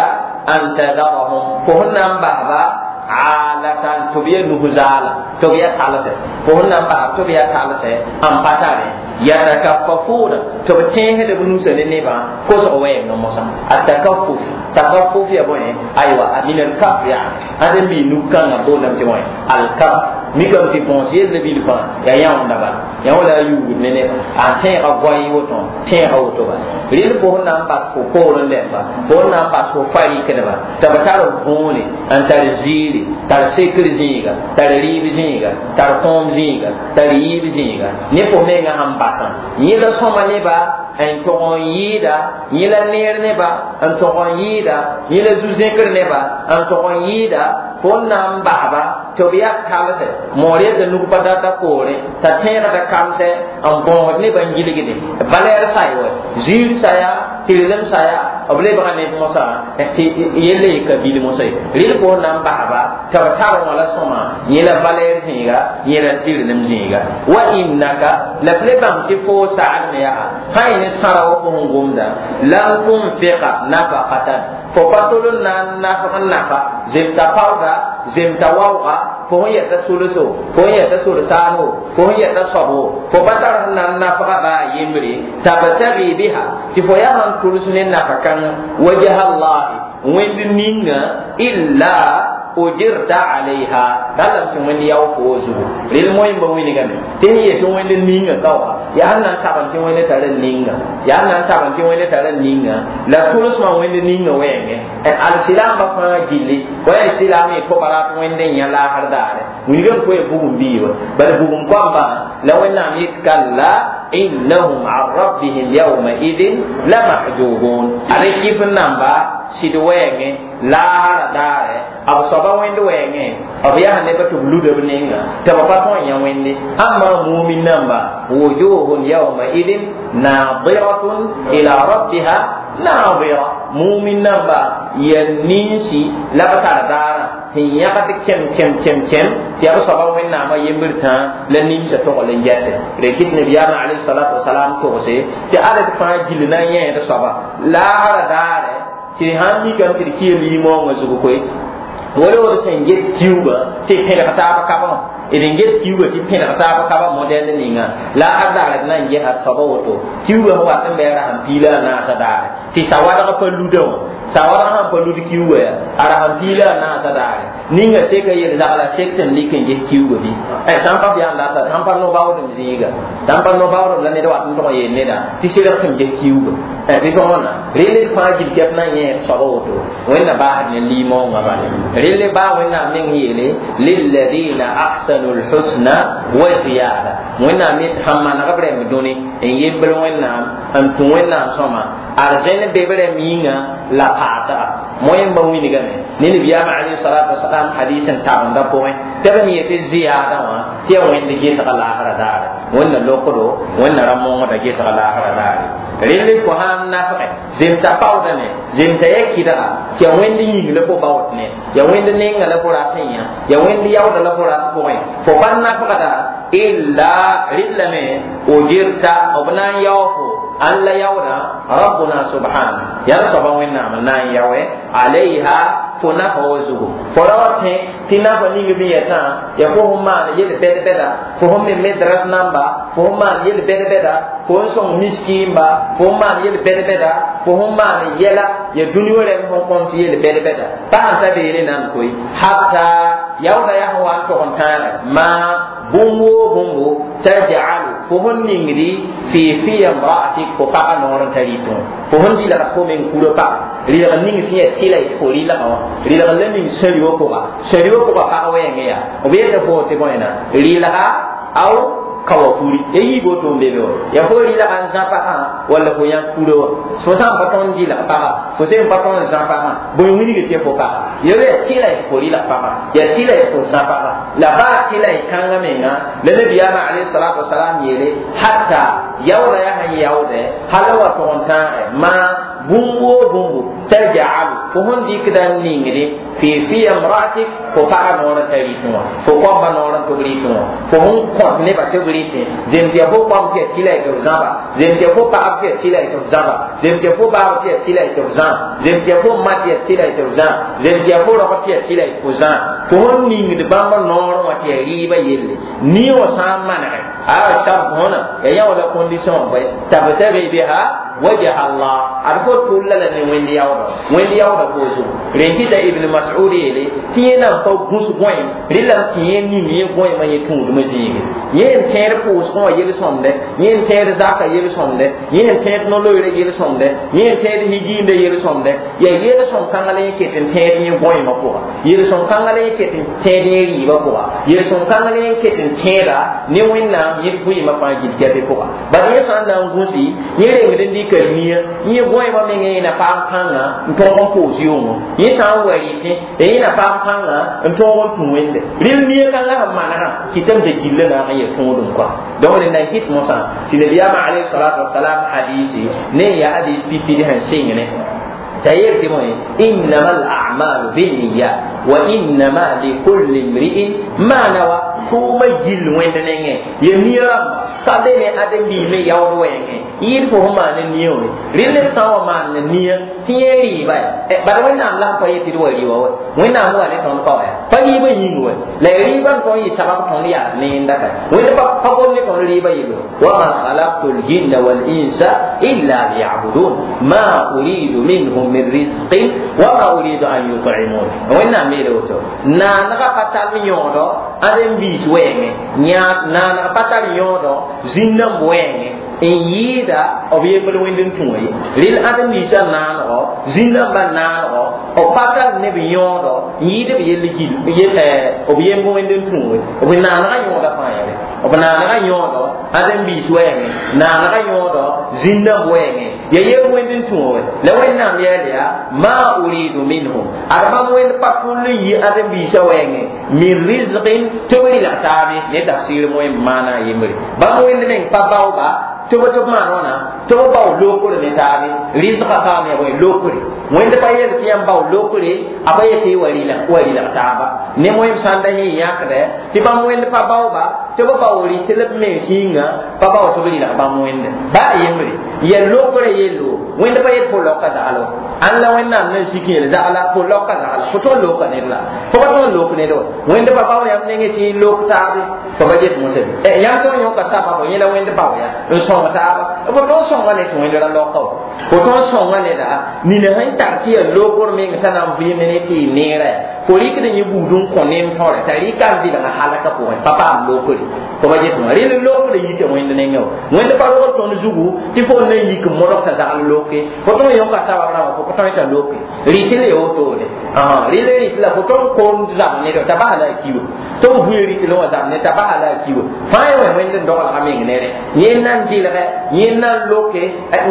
Speaker 1: an tadarahum fo sẽn na n basba alatan tɩ b yaa nus zaala tɩ b yaa talsɛ fo sẽn na n bas tɩ b yaa talsɛ n pa tare yatakaffafuna tɩ b tẽesd b nusã ne nebã kosg wɛɛngã mosã a takaffuf takaffuf ya bõe aywa min alkaf yaa ãdem bii nuk-kãngã boondame tɩ bõe alkaf mikame tɩ bõos yell bil fãa yaa yãonda bala yã wala a yuugd ne neba a tẽega goay woto tẽega woto bala rel fo sẽn na n bas fo poorẽ lɛmba fo sẽn na n bas fo fa rɩkdba tɩ b tar võone n tar ziiri tar sekr zĩiga tar rɩɩb zĩiga tar kõom zĩiga tar yiib zĩiga ne fo mengã sẽn basã yẽ la sõma neba n tog n yɩɩda yẽ la neer neba n tog n yɩɩda yẽ la zu-zẽkr neba n tog n yɩɩda fo n na n basba tɩ b yaa talsɛ moor yetɩ nug pa data poorẽ t'a tẽegda kamsɛ n bõosd nebã n gilgde valɛɛr say wa ziir saya tɩrlem saya b lebga neb mosã tɩ yella ye ka bil mosã ye rel fo n na n basba tɩ b tar wã la sõma yẽ la valɛɛr zĩiga yẽ la tɩrlem zĩiga wa innaka la b le bãmb tɩ fo sagd me yaa sã y ne sãra wa fo sẽn gomda lam tunfiqa nafaqatan fo pa tol n na n nafg n nafa zemta paooda zemta waooga fo sẽn yɛta solso fo sẽn yɛta sol-saano fo sẽn yɛta soabo fo pa tar sẽn na n nafga baa yembre tabtagi biha tɩ fo yaa sẽn tʋls ne nafa kãngã wajha allahi wẽnd ninga illa ujirta alayha dalam tɩ wẽnd yao fo zugu rel moẽ ba wilgame tɩ sẽn yet tɩ wẽnd ninga ka wã yaa sẽn na n tabn tɩ wẽnd tara ninga yaa sẽn na n tabn tɩ wẽnd tara ninga la tʋlsmã wẽnd ninga wɛɛngẽ alsilaambã fãa gilli fo yaa silaam y toba rat wẽnd n yã laasr daare wilgame fo ya bugum biiba bala bugum koambã la wẽnnaam yet kalla innahum an rabbihim yawmaidin lamahjubun ad kɩf n namba sɩd wɛɛngẽ laasra daare b soaba wẽnd wɛɛngẽ b yaa nebã tɩ b luda b nenga tɩ b pa tõe n yã wẽnde ãmba mumin namba wujuhun yawmaidin nadiratun ila rabbiha nadira mumin namba ya ninsi la b tar daarã sẽn yãgd kẽm kẽm kẽm kẽm tɩ yaa b soaba wẽnnaamã yembr tã la nimsã togl n gɛse rekɩt nabiyaamã alayhi salatu wasalam togse tɩ ad d fãa gill na n yẽed soaba laasra daare tɩ sãn mikame tɩ d kɩa liimoongã zugu koe wala d sẽn get kiuugã tɩ pẽdg taab kabã d n get kiuugã tɩ pẽdg taab kaba modɛl ninga la a daare d na n gesa soaba woto kiuugã sẽn wat n bɩ a ra sẽn piila a naasã daare tɩ sawadg pa luda wã sawadg sãn pa lud kiuugã yaa a ra sẽn piila a naasã daare ninga seka yel-zagla sek tɩ n lik n ges kiuugã bɩ sãn pa f yaa n data sãn pa no-baoodem zĩiga sãn pa no-baoodem la ned wat n tog n yeel neda tɩ serg tɩ m ges kiuugã bɩ tɩ wãna rel d fãa gil kɛp na n yẽed soaba woto wẽnna baasd ne liimoongã bale rel baa wẽnnaam meng yeele lilladina ahsanu lhusna wa ziyada wẽnnaam yet sãn maneg b rɛmb dũni n yembr wẽnnaam n tũ wẽnnaam sõma arzẽn be b rɛmb yĩnga la paasga moẽmba wilgame ne nabiyaamã alayhi salatu wasalam hadis n tabendã pʋgẽ tɩ b sẽn yetɩ ziyada wã tɩ yaa wẽnd gesga laasra daare wẽnna lokdo wẽnna ra-mongda gesga laasra daare rel fo sãn nafge zemta paoodame zemta ya kɩdga tɩ yaa wẽnd yĩng la fo baood ne yaa wẽnd nenga la fo rat n yã yaa wẽnd yaooda la fo rat pʋgẽ fo pa nafgda illa rillame ujirta b na n yao fo an la yaooda rabbuna subhana yaa soaba wẽnnaam n na n yaoe alayha fo nafa wa zugu fo ra wa tẽ tɩ nafa ning b yetã yaa fo sẽn maan yel bɛd-bɛda fo sẽn me medras namba fo sẽn maan yel bɛd-bɛda fo n sõng miskiimba fo sẽn maan yel bɛd-bɛda fo sẽn maan yɛla ya dũni wã rɛm sẽn kõn tɩ yel bɛd-bɛda pa sẽn ta beene nan koe hatta yaooda yaa sẽn wa n tog n tãagɛ maa bũmb woo bũmbo tajalu fo sẽn ningdi fi fi imraatik fo pagã noor n ta rɩtẽ fo sẽn rɩlg fo meng kurã paga rɩlg ning sẽn yaa tɩla y fo rɩlgã wã rɩlg la ning sã-riwã pʋga sã-riwã pʋga pag wɛɛngẽ yaa b yeta fo tɩ bõena rɩlga aw kawa furi ya yiib woto n be be wa yaa fo rɩlga n zã pagã walla fo yãk furã wã fo sã n pa tõnd rɩlg pagã fo sẽn pa tõnd zã pagã bõe wilg tɩ fo paga ya yaa tɩla y fo rɩlg pagã yaa tɩla y fo zã pagã la baa tɩla y kãngã menga la nabiyaamã alayhi salatu wasalam yeele hatta yaooda yaa sẽn yaoodɛ hal wa tog n tãagɛ maa bũmb woo bũmbu tajalu fo sẽn dɩkda n ningde fi fi imraatik fo pagã noor n ta rɩtẽ wã fo koambã noor n tɩ b rɩtẽ wã fo sẽn kõt nebã tɩ b rɩtẽ zems yaa fo koam tɩ yaa tɩla y tɩ b zãba zems yaa fo pagb tɩ yaa tɩla y tɩ b zãba zems yaa fo baab tɩ yaa tɩla y tɩ b zã zems yaa fo ma tɩ yaa tɩla y tɩ b zã zems yaa fo rog tɩ yaa tɩla y tɩ fo zã fo sẽn ningd bãmb noor wã tɩ yaa rɩɩbã yelle nie wã sã n manege a shart hõna yaa yã wala condition bõe tabtagi biha wajha Allah ad fo tʋlla la ne wẽnd yaooda wẽnd yaooda fo zugu rẽn kɩta ibn mas'ud yeele tɩ yẽ na n pa gũs gõem rɩlame tɩ yẽ ning yẽ gõemã yẽ tũudmã zĩige yẽ n tẽed pʋʋsgẽ wã yel-sõmdɛ yẽ n tẽed zaka yel-sõmdɛ yẽ n tẽed no-loeerã yel-sõmdɛ yẽ n tẽed higiindã yel-sõmdɛ yaa yel-sõm kãngã la yẽ ket n tẽed yẽ gõemã pʋga yel-sõm kãngã la yẽ ket n tẽed yẽ rɩɩbã pʋga yel-sõm kãngã la yẽ ket n tẽeda ne wẽnnaam yẽ vɩɩmã fãa gil kɛpɩ pʋga bala yẽ sã n na n gũsi yẽ rengd n dɩka nia yẽ gõemã meng yẽ na paam kãngã n tõog n pʋʋs yʋngo yẽ sã n wa rɩtẽ yẽ na paam kãngã n tõog n tũ wẽnde rel nia kãngã sẽn manegã kɩtame tɩ gillã naag n yaa tõodem kɔa donc rẽnd na n kɩt mosã tɩ nabiyaamã alayhi salatu wasalam hadisi ne n yaa hadis pipid sẽn sɩngne t'a yeel tɩ bõe innama al'amalu binniyat wa innama likulli imri'in ma nawa. tʋʋmã gill wẽnd nengẽ ya nia rãmba ka be ne ãdem-biis me yaood wɛɛngẽ yɩɩd fo sẽn maan nia wã rɩl ned sã n wa maan nia tɩ yẽ rɩɩba ya bad wẽnnaam la sẽn pa yet tɩ d wa rɩ wa wa wẽnnaam wa ne tõnd pa wa ya pa rɩɩbã yĩng wa la rɩɩbã n tõnd yɩ sabab tõnd yaa neenda ka wẽnd pa gom ne tõnd rɩɩbã yello wama khalaqtu ljinna walinsa illa liyabudun ma uridu minhum min rizqin wama uridu an yut'imun wẽnnaam meele woto naanegã pa tar yõodo ãdem-biis wɛɛngẽ naaneg pa tar yõodo zĩn-dãmb wɛɛngẽ n yɩɩda b yembr wẽnd n tũ wã ye rel ãdem-biisã naanego zĩn-dãmbã nanego b pa tar ne b yõodo n yɩɩd b yell gil b yemb wẽnd n tũ we b naanegã yõoda fãa yɛle b naanegã yõodo ãdem-biis wɛɛngẽ naanegã yõodo zĩn-dãmb wɛɛngẽ ya yemb wẽnd n tũ wã la wẽnnaam yɛɛl yaa ma uridu minhum ad bãmb wẽnd pa tʋl n yi ãdem-biisã wɛɛngẽ min rizqin tɩ b rɩlg taabe ne tafsir moẽ maana a yembre bãmb wẽnd meng pa baooba tɩ b tɩ b maan wãna tɩ b bao lokre ne taabe rɩzgã paam ya bõe lokre wẽnd pa yel tɩ yãmb bao lokre a pa yetɩ wa rɩlg taaba ne moẽm sãn da yẽ yãkdɛ tɩ bãmb wẽnd pa baooba tɩ b bao rɩt la b mens yĩnga pa bao tɩ b rɩlg bãmb wẽnde ba a yembre ya lokre yello wẽnd pa yet fo laoka zaglo ãn la wẽnnaam nan sik yel zagla fo laoka zagla fo tõnd loka ned la fo pa tõnd lok ned wa wẽnd pa bao yãmb nengẽ tɩ lok taabe fo pa get mosã bɩ yãmb tõnd yõka sababo yẽ la wẽnd bao ya n sõng taaba fo tõnd sõnga ne tɩ wẽnd ra laoka wa fo tõnd sõnga neda nina sẽn tar tɩ yaa lokr meng t'a na n vɩɩmd ne tɩ y neera ya fo rɩkd yẽ buud n kõ nem tõre t'a rɩka n vɩlgã halka pʋgẽ pa paam lokre fo pa get wã rel lokr yita wẽnd nengẽ wa wẽnd pa rogd tõnd zugu tɩ fo n na n yik n modg t'a zagl loke fo tõnd yõka sabab rãmba fo pa tõe t'a loke rɩt la ya wotone rel rɩt la fo tõnd koom zab ned t'a basa la a kiwa tɩ b vʋɩ rɩt wã zab ned t'a basa la a kiwa fãa ya wẽ wẽnd n doglga meng nere yẽ na n dɩlgɛ yẽ na n loke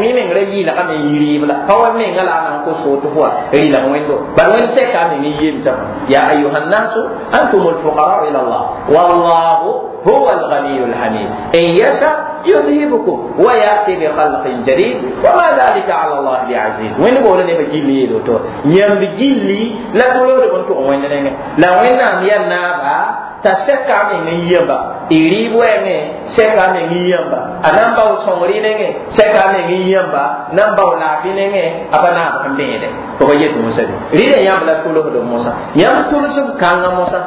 Speaker 1: yẽ meng ra yɩɩlgame n yi rɩɩb la pa wa mengã la a na n kos fo tɩ fo wa rɩlg wẽndo bal wẽnd sɛka a meng n yemsã ya ayuha nnasu antum alfuqara ila allah wallahu huwa alghaniyu alhamid in yasha يذهبكم وياتي بخلق جديد وما ذلك على الله بعزيز وين بقول ne gilli yelo to yãmb gilli la tʋlgd bõn tʋg wẽnd nengẽ la wẽnnaam yaa naaba t'a sɛka a meng n yãmba y rɩɩb wɛɛngẽ sɛka a meng n yãmba a na n bao sõngr y nengẽ sɛka a meng n yãmba na n bao laafɩ nengẽ a pa naab sẽn bẽede fo pa yet mosã be rɩla yãmb la tʋlsd mosã yãmb tʋlsb kãngã mosã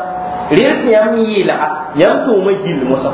Speaker 1: rɩl tɩ yãmb yɩɩlga yãmb tʋʋmã gill mosã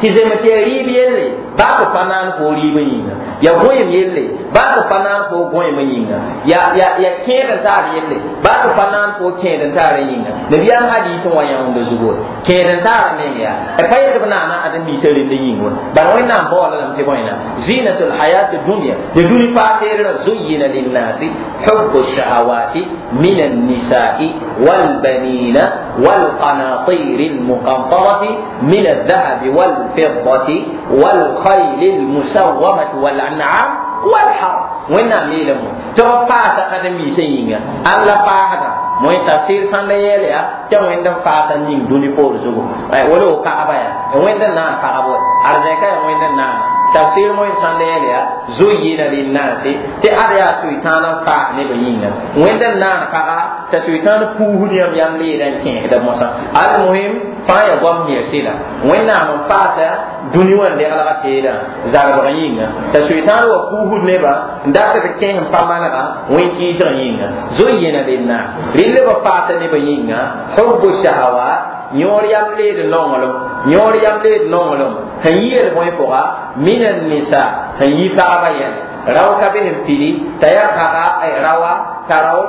Speaker 1: tɩ zem tɩ ya rɩɩb yelle baa fo pa naan fo rɩɩbã yĩnga ya gõem yelle baa fo pa naan fo gõemã yĩnga ya ya ya kẽed n taar yelle baa fo pa naan fo kẽed n taarã yĩnga nabiyaam hadiis n wa yãoonda zugu kẽed n taarã meng yaa pa yet b naana ãdem-biisã rend yĩng wa bala wẽnnaam baoola lame tɩ bõena zinatu lhayat dunya ya dũni faa-teerã zuyina linnasi hubbu shahawati min annisai walbanina والقناطير المقنطرة من الذهب والفضة والخيل المسومة والأنعام والحرث وين ميلم تو فاتا قدم يسينغا الله فاتا موي تفسير سان يليا تا وين فاتا نين دوني بور زوغو ولو كعبا يا وين نا فاغبو ارزكا وين نا تفسير موي سان يليا زين للناس تي اريا سويتان فا ني بينغا وين نا فاغا تا سويتان بوه يام يام لي ران كين دا موسى المهم فا يا غوم يسيلا وين نا فاتا dũni wã n deglga teedã zagbg yĩnga t'a soetãan wa puusd nebã n dat b kẽes n pa manega wẽn-kɩɩsg yĩnga zoyena linnas rɩl b paasa nebã yĩnga hubbu shahawat yõor yam leed nonglem yõor yam leed nonglem sẽn yi yel bõe pʋga min annisa sẽn yi pagba yɛl rao ka be sẽn pidi t'a yaa paga rawa t'a rao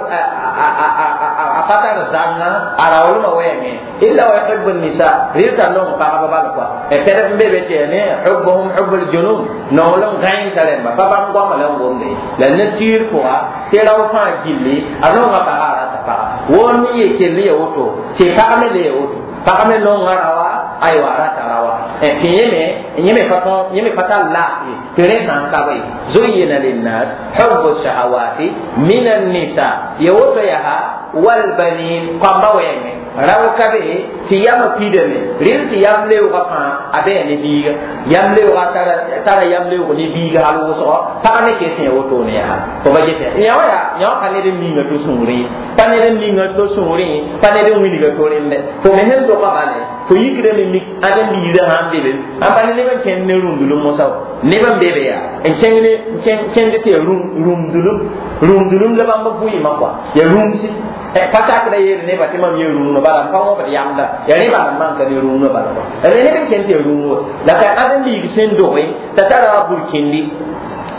Speaker 1: a pa tar zãnga a raoolmã wɛɛngẽ illa wa yuhibbu nisa rɩl t'a nong pagba bal kɔa pɛdb n be be tɩ yaa ne hubbuhum hubbul junun nonglem gãensa rẽmba pa bãmb goama la n womde la ne-tiir pʋga tɩ rao fãa gilli a nonga paga a rata paga woor ne ye kell ya woto tɩ pag me le ya woto pag me nonga rawa aywa a rata rawa tɩ yẽme yẽme pa tõn yẽme pa tar laafɩ tɩ rẽ sã n ka be zuyina linnas hubbu shahawati min annisa Ya woto yaa walbanin kɔmba wɛɛngẽ rao ka be tɩ yamã pidame rɩl tɩ yam leoogã fãa a bɩa ne biiga yam leoogã tara yam leoog ne biiga hal wʋsgɔ pag me kes yã wotone yaa fo ba get yã wã yaa yã wã pa ned n ninga to sũurẽ ye pa ned n ninga to sũurẽ pa ned n wilga to rẽndɛ fo me sẽn doga bale fo yikdame mik ãdem-biirã sãn be be ãn pa ne neb n kẽnd ne rũndulum mosã neb n be be yaa n kẽng ne kẽnd tɩ yaa rũndulum rũndulum la bãmb vɩɩmã kɔa yaa rũmsi pa sakda yeel nebã tɩ mam yee rũngã bala n pa wõbd yamda yaa rẽ bala n maan ka ne rũngã bala rẽ neb n kẽnd tɩ yaa rũngã la ka ãdem-biig sẽn doge t'a tara burkindi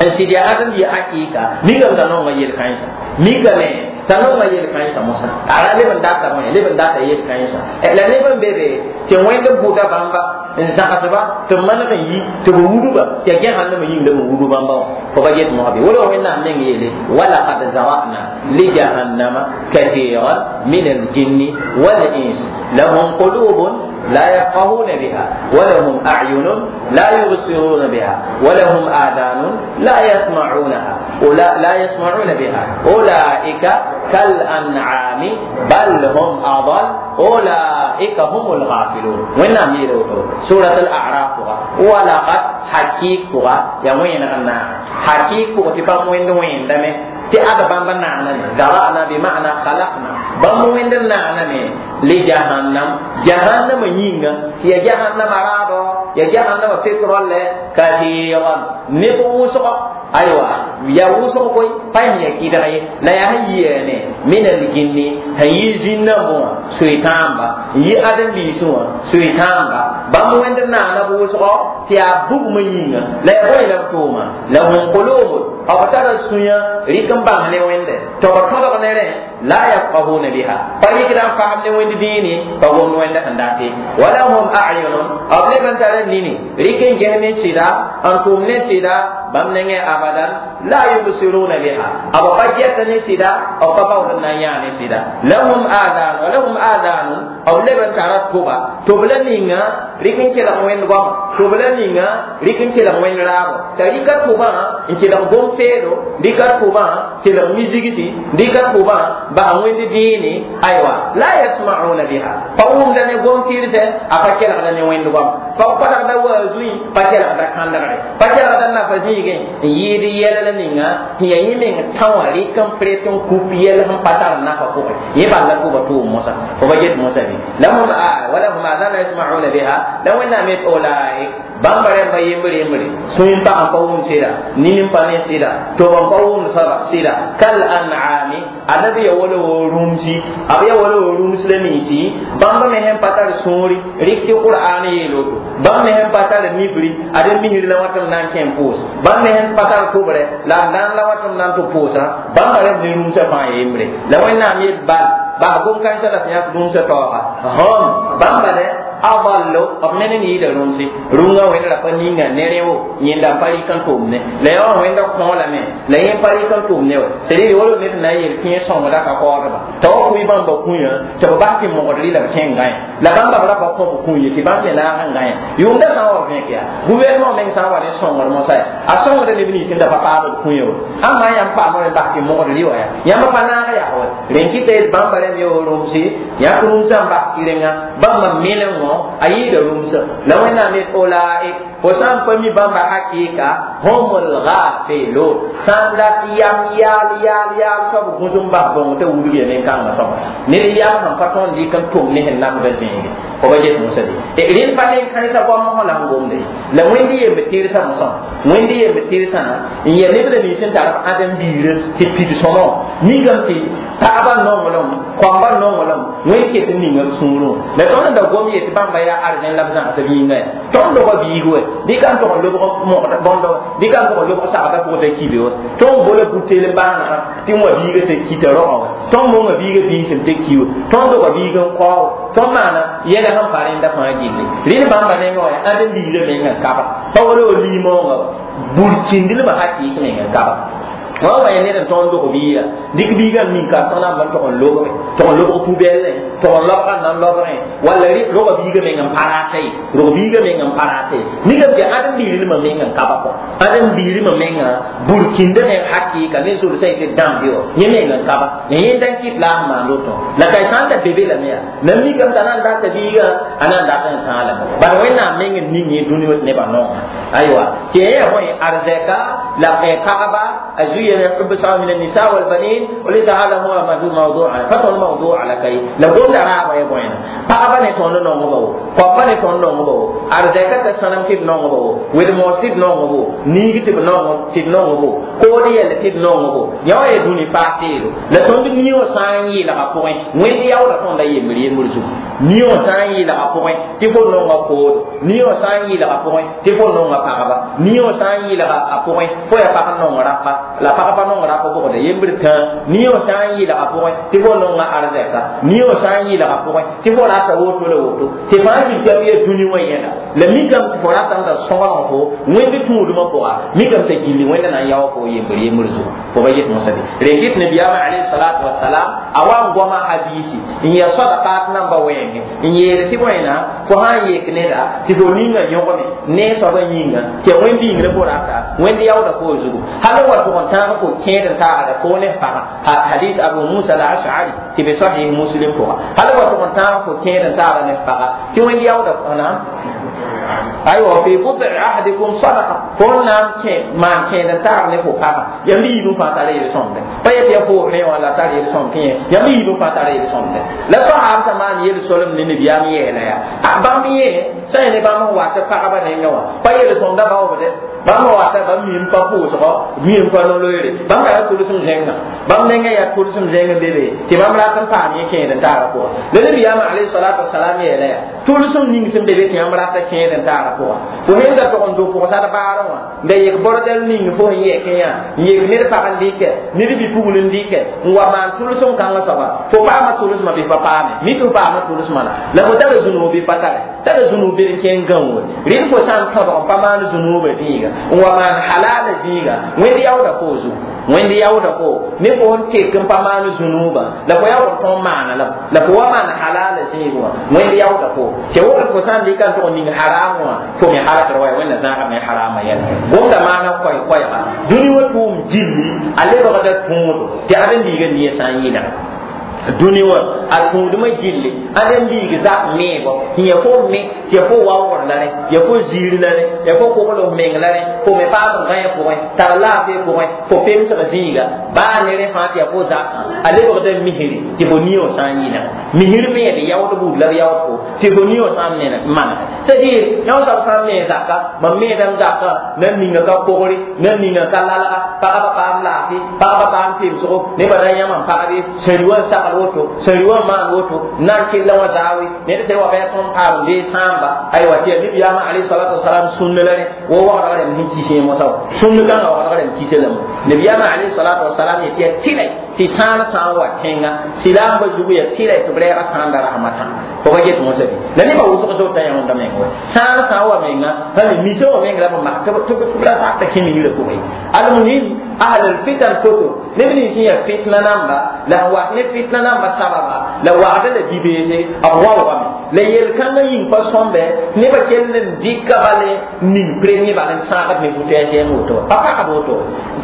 Speaker 1: n sɩd yaa ãdem-biig hakɩɩka mikame t'a nonga yel-kãensã mikame t'a nonga yel-kãensã mosã ara leb n data bõe leb n data yel-kãensã la neb n be be tɩ wẽnd bʋda bãmba n zãgsba tɩ b maneg n yi tɩ b wudba tɩ yaa gẽsãndame yĩng la b wudb bãmba wã fo ba get mosã bɩ wala wẽnnaam meng yeele walaqad zara'na lijahannama kathiran min aljinni walins lahum qulubun لا يفقهون بها ولهم أعين لا يبصرون بها ولهم آذان لا يسمعونها ولا لا يسمعون بها أولئك كالأنعام بل هم أضل أولئك هم الغافلون وين سورة الأعراف ولقد حقيقة يا وين أنا حقيقة تفهم وين وين دمه tɩ ad bãmba naaname zara'na bima'na khalaqna bãmb wẽnd n naaname li jahannam jahannama yĩnga tɩ ya jahannama raado ya jahannama petrole kathiran neb wʋsgɔ aywa ya wʋsg koe pa sẽn ya kɩdg ye la yaa sẽn yiane min aljinni sẽn yi zĩn-nambẽ wã soe-tãamba n yi ãdem-biisẽ wã soe-tãamba bãmb wẽnd n naana b wʋsgɔ tɩ yaa bugmã yĩnga la yaa bõe la b tʋʋma lahum qulubun b tara sũyã rɩk n bãng ne wẽnde tɩ b tõdg ne rẽ la yafqahuna biha pa rɩkda n fasem ne wẽnd dĩine pa gomd wẽnda sẽn date walahum a'yunun b leb n tara nini rɩk n ges ne sɩda n tʋm ne sɩda bãmb nengẽ abadan la yubsiruna biha b pa gɛta ne sɩda b pa baood n na n yãa ne sɩda lahum adan wa lahum adanun b leb n tara tʋba tʋb la ninga rɩk n kelg wẽnd goama tʋb la ninga rɩk n kelg wẽnd raabo t'a rɩka tʋbã n kelg gom-peedo rɩka tʋbã kelg mizigsi rɩka tʋbã bas wẽnd dĩine aywa la yasma'una biha pa wʋmda ne gom-tɩrsɛ a pa kelgda ne wẽnd goama pa kolgda waazui pa kelgda kãndgre pa kelgda nafa zĩigẽ n yɩɩd yɛl la ninga sẽn yaa yẽ meng tã wã rɩk n pret n kup yɛl sẽn pa tar nafa pʋgẽ yẽ bal la tʋba tʋʋm mosã fo ba get mosã bɩ lahum walahum adan la yasma'una biha la wẽnnaam yet ulaik bãmba rẽmba yembre yembre sũy n pag n pa wʋm sɩda nin n pa ne sɩda tob n pa wʋmd soaba sɩda kal an'ami adabi ya wala wo rũmsi b ya wala wo rũms la ninsi bãmb me sẽn pa tar sũuri rɩk tɩ qur'an yeel woto bãmb me sẽn pa tar mibri ad misr la wat n na n kẽ n pʋʋs bãmb me sẽn pa tar tʋbrɛ la b daan la wat n na n tɩ pʋʋsã bãmba rẽmb ne rũmsã fãa yembre la wẽnnaam yet bal bas gom-kãensã la sẽn yãk rũmsã taooga hom bãmba dɛ adallu b ned n yɩɩda rũmse rũngã wẽnd ra pa ninga ne rẽ wo yẽnda n pa rɩk n tʋm ne la yã wã wẽnda kõolame la yẽ pa rɩk n tʋm ne wa c'est-à-dire wala ned na n yel tɩ yẽ sõngda ka kaoodba t'a wa kʋɩ bãmba kũyã tɩ b bas tɩ mogd rɩ la b kẽng gãe la bãmba b ra pa kõ b kũ ye tɩ bãmb me naag n gãe yʋʋmda sã n wa vẽk yaa gouvernement meng sã n wa ne sõngd mosã ya a sõngda neb nins n da pa paam b kũyã wa ãmba yãmb paam rẽ bas tɩ mogd rɩ wa ya yãmb pa naag yaa wa rẽn kɩta yet bãmba rẽmb yo rũmse yãk rũmsã n bas kɩrenga bãmba meneng wã a yɩɩda rũmsã la wẽnnaam yet ulaik fo sã n pa mi bãmba hakɩɩka humul ghafilun sã n dat yam yaal yaal yaal soab gũs n bas bõng t'a wudg ya nen-kãngã soaba ned yam sẽn pa tõnd dɩk n tʋm ne sẽn namda zĩige fo ba get mosã de rẽnd pa nen-kãensã goam la sẽn gomda ye la wẽnd yemb tɩrsã mosã wẽnd yemb tɩrsã n yaa neb la nins n tar b ãdem-biirã tɩ pid sõmõ mikame tɩ pagbã nonglem koambã nonglem wẽnd ket n ninga b sũurẽ la tõnd n da gom yet bãmba yaa arzẽn la b zãgsb yĩnga ya tõnd doga biig wɛ dɩka n tʋg n lobg mogd bõndo dɩka n tʋg n lobg sagda pʋgẽ t'a kibe wa tõnd bola buteel n baanegã tɩ wã biiga t'a kita rogã wa tõnd monga biiga biisem t'a ki wa tõnd doga biig n kaoog tõnd maana yɛla sẽn pa rẽnda fãa gilli rẽnd bãmba nengã wã yaa ãdem-biirã mengã kaba pa wala wa liimoongã wa burkĩndlmã hakɩɩk mengã kaba wa wa ned n tõnd log biiga dɩk biigã n min ka tõnd n tog n lobge tog n lobg pubɛllẽ tog n lobga n na n lobgẽ walla roga biigã meng n pa rata ye rog biigã meng n pa rata ye mikame tɩ ãdem-biigr nima meng n ka ba kɔ ãdem-biigrmã menga burkĩndã meng hakɩɩka ne zʋlsã yetɩ dãmb yo yẽ meng n ka ba yẽnda n kɩt la a sẽn maand woto la ka sã n da be be lame yaa la mikame t'a na n data biigã a na n dat n sãalame bala Wẽnnaam meng n ning yẽ dũni wã tɩ nebã nonga aywa tɩ yẽ yaa bõe arzɛka la pagba a زين حب الشهوة من النساء والبنين وليس هذا هو موضوع فتون موضوع على كي لو قلنا رابع يبوين pagba ne tõnd nongba wo koapa ne tõnd nongba wo arzɛka t'a sãnem tɩ d nongba wo wed-moos tɩ d nongbo niig tɩ b nong tɩ d nongbo kood yɛl tɩ d nongbo yã wa yaa dũni paas teelo la tõnd niowã sã n yeelga pʋgẽ wẽnd yaoodã tõnda yembr yembr zugu niowã sã n yeelga pʋgẽ tɩ fo nonga koodo niowã sã n yeelga pʋgẽ tɩ fo nonga pagba niowã sã n yeelga a pʋgẽ fo yaa pag n nong rapa la pag pa nong rapa bʋgda yembr tã niowã sã n yeelga pʋgẽ tɩ fo nonga arzɛka niowã sã n yeelga pʋgẽ tɩ fo rata woto la woto tɩ fãa zĩig tɩ b yaa dũni wã yẽla la mikame tɩ fo ratame t'a sõglg fo wẽnd tũudmã pʋga mikame t'a gilli wẽnda na n yaoog fo yembr yembr zugu fo ba get mosã bɩ rẽ kɩt nabiyaamã alayhi salatu wasalam a wa n goama hadiisi n yaa sadaqat namba wɛɛngẽ n yeel tɩ bõena fo sã n yek neda tɩ fo ninga yõgame ne soabã yĩnga tɩ ya wẽnd yĩngrã fo rata wẽnd yaooda fo zugu hal n wa tʋg n tãag fo kẽed n taagda fo ne pagã hadis Abu Musa al-Ash'ari tɩ be sahih Muslim pʋga hal n wa tʋg n tãag fo kẽed n taagda ne pagã tɩ wẽnd yaooda naam aywa fi bud'i ahadikum sadaqa fo n na n kẽ maan kẽed n taag ne fo pagã yãmb yiib n fãa tara yel-sõmde pa yet ya fo rẽ wã la tar yel-sõm tɩ yẽ yãmb yiib n fãa tara yel-sõmde la sahaab sã maan yel-solem ne nabiyaam yeela yaa bãmb yẽ sã yẽ ne bãmb sẽn wat pagba nengã wã pa yel-sõmda baoobde bãmb wata bãmb mim pa pʋʋsgɔ mim pa no-loeere bãmb ka yaa tʋlsem zẽngã bãmb nengã yaa tʋlsem zẽng n be be tɩ bãmb rat n paam yẽ kẽed n taagã pʋga la nabiyaamã alayhi salatu wasalam yeela yaa tʋlsem ning sẽn be be tɩ yãmb rata kẽed n taagã pʋga fo sẽn da tog n do pʋgsad baarẽ wã n da yek bordɛl ning fo sẽn yɛkẽ yã n yek ned pag n dɩkɛ ned bi-pugl n dɩkɛ n wa maan tʋlsem kãngã soaba fo paama tʋlsmã bɩ pa paame mi tɩ fo paama tʋlsmã la la fo tara zũnug bɩ pa tare tara zũnug bɩ n kẽng gãoore rɩd fo sã n tõdg n pa maan zũnuubã zĩiga n wa maan halala zĩiga wẽnd yaooda fo zugu wẽnd yaooda fo ne fo n tek n pa maan zũnuubã la fo yaood n tõn maana la la fo wa maan halala zĩig wã wẽnd yaooda fo tɩ wogd fo sã n dɩka n tʋg n ning haram wã fo me halakr wa wẽnna zãagame harama yɛla gomda maana koɛ-koɛɛga dũni wã tʋʋm gilli a lebgda tõodo tɩ ãdem-biigã nia sã n yɩlga dũni wã a tũudmã gilli ãdem-biig zak meebo tɩ ya fo me tɩ ya fo waoogr la rẽ ya fo ziir la rẽ ya fo kogl f meng la rẽ fo me paam n gãe pʋgẽ tar laafɩ pʋgẽ fo pemsg zĩiga baa ne rẽ fãa tɩ ya fo zakã a lebgda misri tɩ fo niowã sã n yɩlga misr me yaa d yaood buud la b yaood fo tɩ fo niowã sã n maneg c'est-à-dire yã soab sã n mee zaka mam meedame zaka nan ninga ka kogre nan ninga ka lalga pagba paam laafɩ pagba paam pemsgo nebã ra yãma n pagbe sẽri wã n sagl woto sẽri wã n maan woto n na n kella wã zaawe ned tɩ wa bɩ a tõnd paam n dee sãamba aywa tɩ yaa nabiyaamã alayhi salatu wasalam sũnn la rẽ wa wagdg rẽmb sẽn kis yẽ mosã wa sũnn kãngã wagdg rẽmb kisa lame nabiyaamã alayhi salatu wasalam yetɩ yaa tɩlɛ tɩ sãan sã n wa tẽnga silaambã zugu yaa tɩlɛ tɩ b rɛɛga sãanda rasmata fo pa get mosã bɩ la nebã wʋsg zota yãonda meng wa sãan sã n wa menga pa misa wã meng la b mak tɩ b ra sakta kẽ migrã pʋgẽ almuhim ahl alfitan foto neb nins sẽn yaa fitna namba la n wat ne fitna namba sababa la wagda la bi-beese b waoogame la yel-kãngã yĩng pa sõmbe nebã kell n dɩka bale ning premier bal n sãagd ne butɛɛs yẽng woto pa pagd woto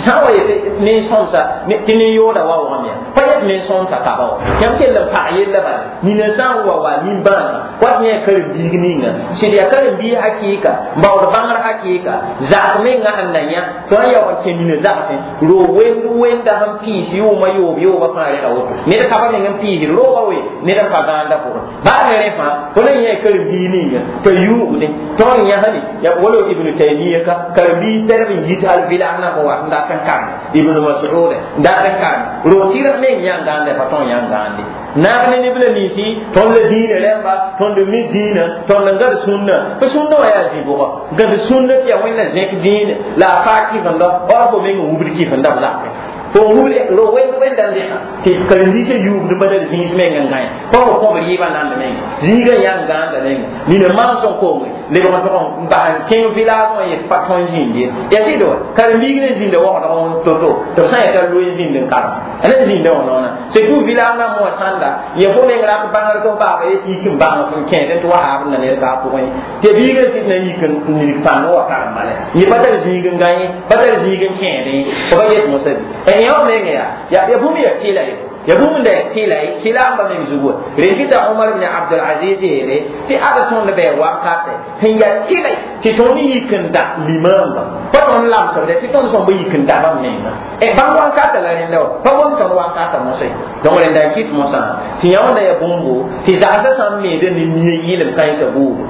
Speaker 1: sã n wa yetɩ nen-sõmsa tɩ nen-yooda waoogame yaa pa yet nen-sõmsa kaba wa yãmb kell n pag yella bala nina sã n wa wa nin-bãaga wat yẽ karen-biig ninga sɩd yaa karen-biig hakɩɩka n baood bãngr hakɩɩka zak menga sẽn na yã tɩ n yaoog n kẽ nina zagsẽ roog wend wenda sẽn piis yʋʋmã yoob yoobã fãa rega woto ned ka pa meng n piisd rooga we ned n pa gãanda pʋgẽ baa ne rẽ fãa fo na yẽ karen-biig ninga t'a yuugdẽ tõog n yãsne ya wala Ibnu Taymiya ka karen-biig tɛrb n yit hal vɩlas na fo wat n dat n karme Ibnu Mas'ud n dat n karme roog tɩrg meng yã n gãanda pa tõog yã n gãande naag ne neb la ninsi tõnd la dĩinã rẽmba tõnd mi dĩinã tõnd n gãd sũnna fo sũnna wã yaa zĩ-bʋgɔ gãd sũnna tɩ yaa wẽnna zẽk dĩinã la a faa kɩfenda ora fo meng n wubd kɩfenda b zakẽ fo wubd ro wẽnd wẽnda n dẽka tɩ karen-biisã yuubd n badal zĩis meng n gãe pa fo kõbr yɩɩbã nand menga zĩigã yã n gãanda menga nina maam sẽn konge lebg n tʋg n bas n kẽng village wã yet pa tõe n zĩnd ye yaa sɩd wa karen-biig ne zĩnda waoodg to-to tɩ b sã n yeta loe n zĩnd n karem a ne zĩnda wã noona surtout village rãmb wã sãnda yẽ fo meng rat bãngr tɩ f baaba yet yik n bãng f n kẽed tɩ wa haab n na ned ka a pʋgẽ tɩ biigã sɩd na yik n nig pãng wa karem bala yẽ pa tar zĩig n gã ye pa tar zĩig n kẽedẽ fo pa yet mosã bɩ yã wã meng yaa yaa bũmb yaa tɩla ye ya bũmb la tɩla ye sɩlaamba meng zugu rẽn kɩta Omar ibn Abdul Aziz yeele tɩ ad tõnd bɩ wakate sẽn yaa tɩla tɩ tõnd yik n da limamba pa tõnd lamsd tɩ tõnd sõm bɩ yik n da bãmb menga bãmb wankata la rẽnda wa pa gom tõnd wankata mosã donc rẽnda n kɩt mosã tɩ yã wãnda yaa bũmbo tɩ zagsã sã n meede ne nia yɩlem kãensã buudu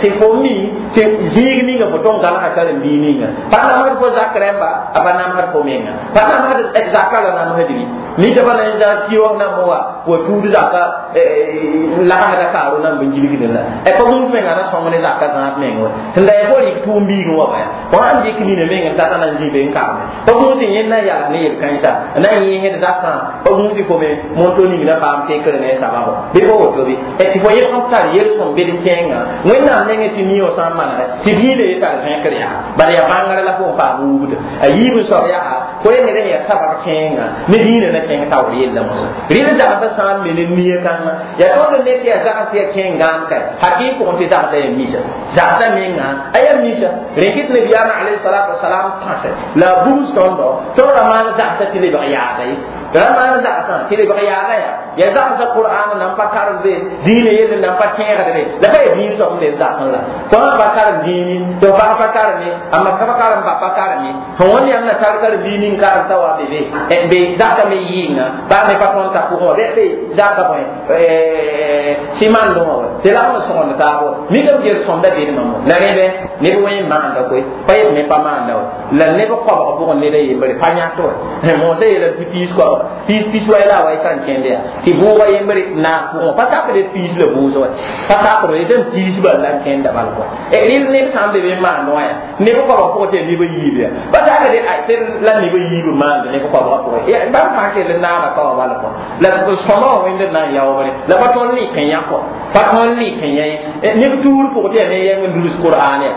Speaker 1: tɩ fo mi tɩ zĩig ninga fo tõn gãlga karen-biig ninga pa namsd fo zak rẽmba a pa namsd fo menga pa namsd zaka la namsd bɩ nita pa na n zag kiog nam wa wa tuud zaka lagsda kaaro nan bɩ gilgdẽ la pa gũus menga na sõng ne zaka zãab meng wa sẽn da yaa fo rɩk tʋʋm biigẽ wa baya fo sãn dɩk nina meng n tata na n zĩ be n karme pa gũus n yẽnd na n yals ne yel-kãensã na n yẽsd zakã pa gũus fo me monto ning na paam tekr ne sababo bɩ fo woto bɩ tɩ fo yelg n tar yel-sõm bed n kẽenga wẽnnaam nengẽ tɩ nioo sã n manegɛ tɩ biila ye tar zẽkr yaa bala yaa bãngr la fo n paam wugda a yiib n soab yaa fo ye ned sẽn yaa sabab kẽenga ne diinã na kẽng taoor yella mosã rɩl zagsã sã n me ne nia kãngã yaa tõnd ne tɩ yaa zags yaa kẽeng gãam ka hakɩɩ pʋgẽ tɩ zagsã yaa misa zagsã menga a yaa misa rẽn kɩt nabiyaamã alayhi salatu wasalam tãse la a bugs tõndo tõnd ra maan zagsã tɩ lebg yaada ye ra maan zagsã tɩ lebg yaada yaa yaa zagsã qur'an nan pa karem be diinã yell nan pa tẽegdbe la pa yaa diin soab n be zagsẽ la fo sã pa karem dĩini tɩ f bas pa kareme a maka pa karem ba pa kareme fo wẽnd yãmb na tar karen-biig ning karem t'a wa be be be zaka me yɩɩnga baa me pa tõnd ta pʋgẽ wã bɩ be zaka bõe simandẽ wã wa tɩ lagm n sõgend taab wa mikame gel sõmda bedmã mo la rẽbe neb wẽ n maanda koe pa yet me pa maanda wa la neb koabg pʋgẽ ned a yembre pa yãt wa moosã yeelame tɩ piis koabga piis pis wa la a wa y sã n kẽnd yaa tɩ bʋʋga yembre naag pʋgẽ pa sakd piis la bʋʋs wa pa sakd d n piis bal la n kẽnda bal kɔa rɩl neb sã n be be n maand wã yaa neb koabga pʋgẽ tɩ yaa neb a yiib yaa pa sakd tɩ la neb a yiib n maand neb koabga pʋgẽ bãmb fãa kell n naaga ka wa bal kɔ la sõma wã wẽnd n na n yaoogre la pa tõnd lɩk n yã kɔ pa tõnd lɩk n yã ye neb tuur pʋgẽ tɩ yaa ne yɛng n dulus qur'an yaa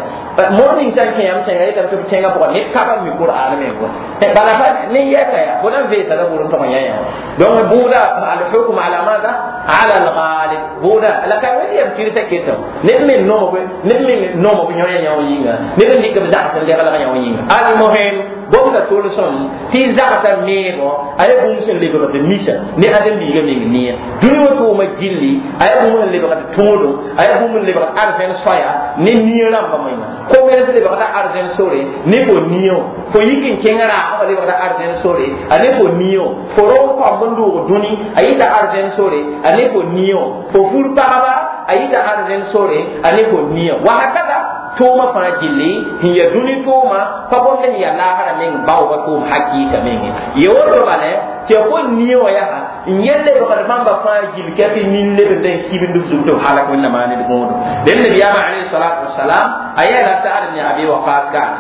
Speaker 1: mor ning sã n kẽ yãmb tẽnga yetame tɩ b tẽngã pʋgã ned ka bãmb mi qur'an meng wa bala pa ne yɛka yaa fo na n veesa la bʋr n tog n yã yã donc bʋʋda alhukm ala mada ala alghalib bʋʋda la ka wẽnd yam tɩrsa ketame ned me nomo ned me nomo b yõ yã yã yĩnga ned n dɩk b zags n leglg yã yĩnga almuhim gomda tolsem tɩ zagsã meego a yaa bũmb sẽn lebgd misa ne ãdem-biigã meng nia dũni wã tʋʋma gilli a yaa bũmb sẽn lebgd tõodum a yaa bũmb n lebgd arzẽn soaya ne nia rãmbã menga commerce lebgda arzẽn sore ne fo nia fo yik n kẽng raagã wã lebgda arzẽn sore a ne fo nia fo rong kõmb n doog dũni a yita arzẽn sore a ne fo nia fo fur pagba a yita arzẽn sore a ne fo nia wahakada tʋʋmã fãa gilli sẽn yaa dũni tʋʋma pa gomd sẽn yaa laasrã meng baooga tʋʋm hakɩɩka menge ye woto bala tɩ ya fo nia wã yaa n yel lebgd bãmba fãa gill ka tɩ nin lebd n kibnd b zug tɩ b halak wẽnnaam maa ned gõodo dẽn nabiyaamã alayhi salatu wasalam a yeela Sa'd ibn Abi Waqas kaane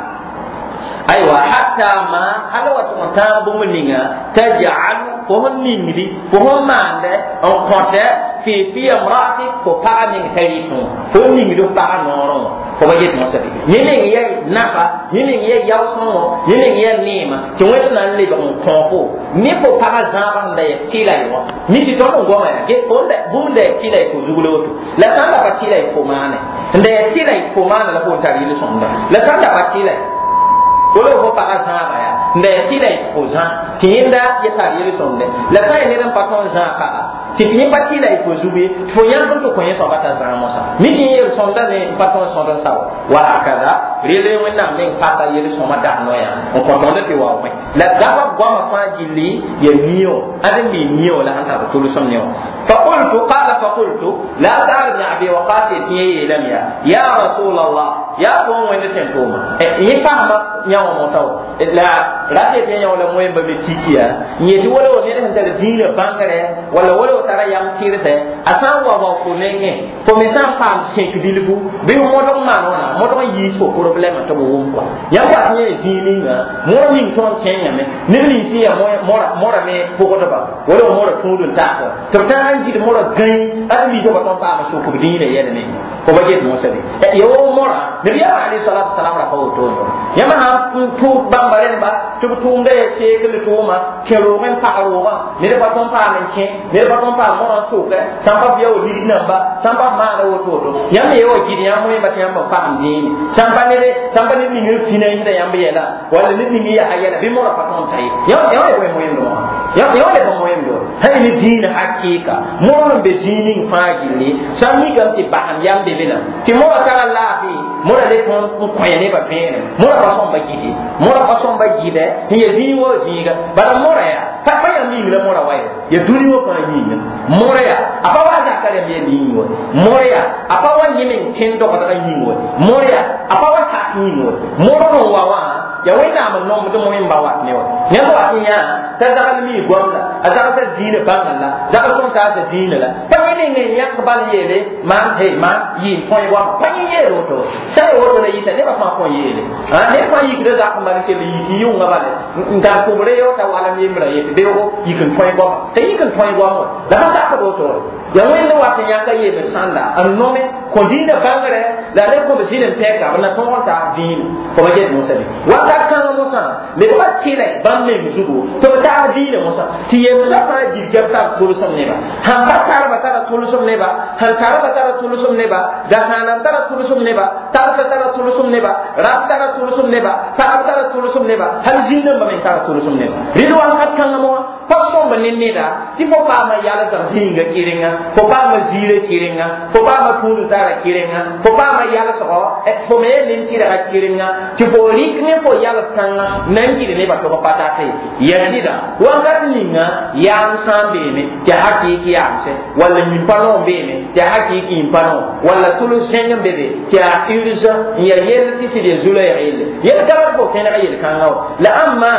Speaker 1: aywa hatta ma hal wa tʋg n tãag bũmb ninga taj'alu fo sẽn ningdi fo sẽn maande n kõtɛ fi fi imra'atik fo paga meng t'a rɩtẽ fo ningd f paga noorẽ wã fo ba yet mosã bɩ yẽ meng yaa nafa yẽ meng yaa yaoosẽngõ yẽ meng yaa neema tɩ wẽnd na n lebg n kõ fo ne fo paga zãabã sẽn da yaa tɩla ye wã mi tɩ tõnd n goma yaa get fo bũmb da yaa tɩla y fo zug la woto la sã n da pa tɩla y fo maane n da yaa tɩla y fo maana la fo n tar yel-sõmda la sã n da pa tɩla wala fo paga zãaba yaa n da yaa tɩla y fo zã tɩ yẽnda ya tar yel-sõmdẽ la sã n yaa ned n pa tõnd zãag paga tɩ yẽ pa tɩla y fo zug ye tɩ fo yãk n tɩ kõ yẽ soaba t'a zãag mosã mi tɩ yẽ yel-sõmda ne n pa tõnd sõd n sao wa hakada rel wẽnnaam meng pasa yel-sõma dag noyã n kõ tõnd tɩ wa wẽ la gaba goamã fãa gilli ya nioo ãdem-biig nioo la sẽn tar tʋlsem ne wã فقلت قال فقلت لا سعد بن ابي وقاص يتي يا يا رسول الله يا قوم وين تنتوما يفهم يا موتاو لا لا تي يا ولا موين بمتيكيا يتي ولا ولا ne tar diinã bãngre wala wala tara yam tɩrse a sã n wa wa fo nengẽ fo me sã n paam sẽk bilfu bɩ f modg maan wãna modg n yiis fo problɛmã tɩ b wʋm kɔa yãmb wat yẽ zĩig ninga moor ning tõnd kẽngame neb nins sẽn yaa mora me pʋgdba wala mora tũud n taasa tɩ b tãag n gɩd mora gãe ad-biisã pa tõnd paama sʋk b diinã yɛl me Fo ba get mosã be ya wo mora nabiyaam alayhi salatu wasalam ra pa woto yãmb sã n tʋʋg bãmba rẽmba tɩ b tʋʋmda ya seekl tʋʋma kẽ roogẽ n pag roogã ned pa tõn paam n kẽ ned pa tõn paam morã n sʋkɛ sãn pa f ya wa ligd namba sãn pa f maana woto woto yãmb ye wa gɩd yãmb wẽmba tɩ yãmb n paam dĩime sãn pa ned sãn pa ned ning n fĩna n yẽda yãmb yɛla walla ned ning n yaa yɛla bɩ morã pa tõn ta ye yã wa bõe moẽmdõ wã yã wa le bõ moẽmdo sã ne dĩinã hakɩɩka mor n be zĩig ning fãa gilli sã n mikame tɩ basem yam be be la tɩ morã tara laafɩ morã le tõnd n kõ nebã vẽenem morã pa sõmba gɩde morã pa sõmba gɩdɛ n ya zĩig wa zĩiga bala morã yaa pa pa yãmb yĩng la morã wa ye ya dũni wã fãa yĩnga morã yaa a pa wa zaka rãmb yaa yĩng wa morã yaa a pa wa yẽm n kẽnd dogdgã yĩng wa morã yaa a pa wa sak yĩng wa morg n wa wã ya wẽnnaam n nomd moẽmba wat ne wa yãmb wat n yã t'a zagl mi goam la a zagsã dĩinã bãngã la zagl tõnd taasa dĩinã la pa yẽ ning n yãk bal yeele maan he maan yɩ n tõe goama pa yẽ yeel woto sã y woto la yɩta nebã fãa kõn yeele ned fãa yikda zak n bal n kell yik yʋnga bale n tar tʋbre yo t'a walem yembrã yetɩ beoogo yik n tõe goama t'a yik n tõe goam wa la pa sakd woto ya wẽnd wat n yãka yem sãnda n nome kõ dĩinã bãngrɛ la le kõ b zĩn n pɛka b na tõg n taas dĩinã fo ba get mosã be wakat kãngã mosã lebga tɩlɛ bãmb meng zugu tɩ b taas dĩinã mosã tɩ yemsã fãa gilgb tar tʋlsem neba sãn pa tarba tara tʋlsem neba sẽn tarba tara tʋlsem neba dasãanam tara tʋlsem neba tarsa tara tʋlsem neba rab tara tʋlsem neba pagb tara tʋlsem neba hal zĩig-dãmbã meng tara tʋlsem neba rɩd wakat kãngã moã pa sõmb ne neda tɩ fo paama yalsg zĩiga kɩrenga fo paama ziirã kɩrenga fo paama tũud tara kɩrenga fo paama yalsgɔ fo me yaa nin-tɩrga kɩrenga tɩ fo rɩk ne fo yals kãngã na n gɩd nebã tɩ b pa tate ya sɩda wakat ninga yaam sã n beeme tɩ hakɩɩk yaamsẽ walla yĩmpa noog beeme tɩ hakɩɩk yĩmpa noog walla tʋls zẽng n be be tɩ yaa urgent n yaa yell tɩ sɩd ya zu-loɛɛg yelle yel ka rat fo kẽneg yel-kãngã wa la ãmba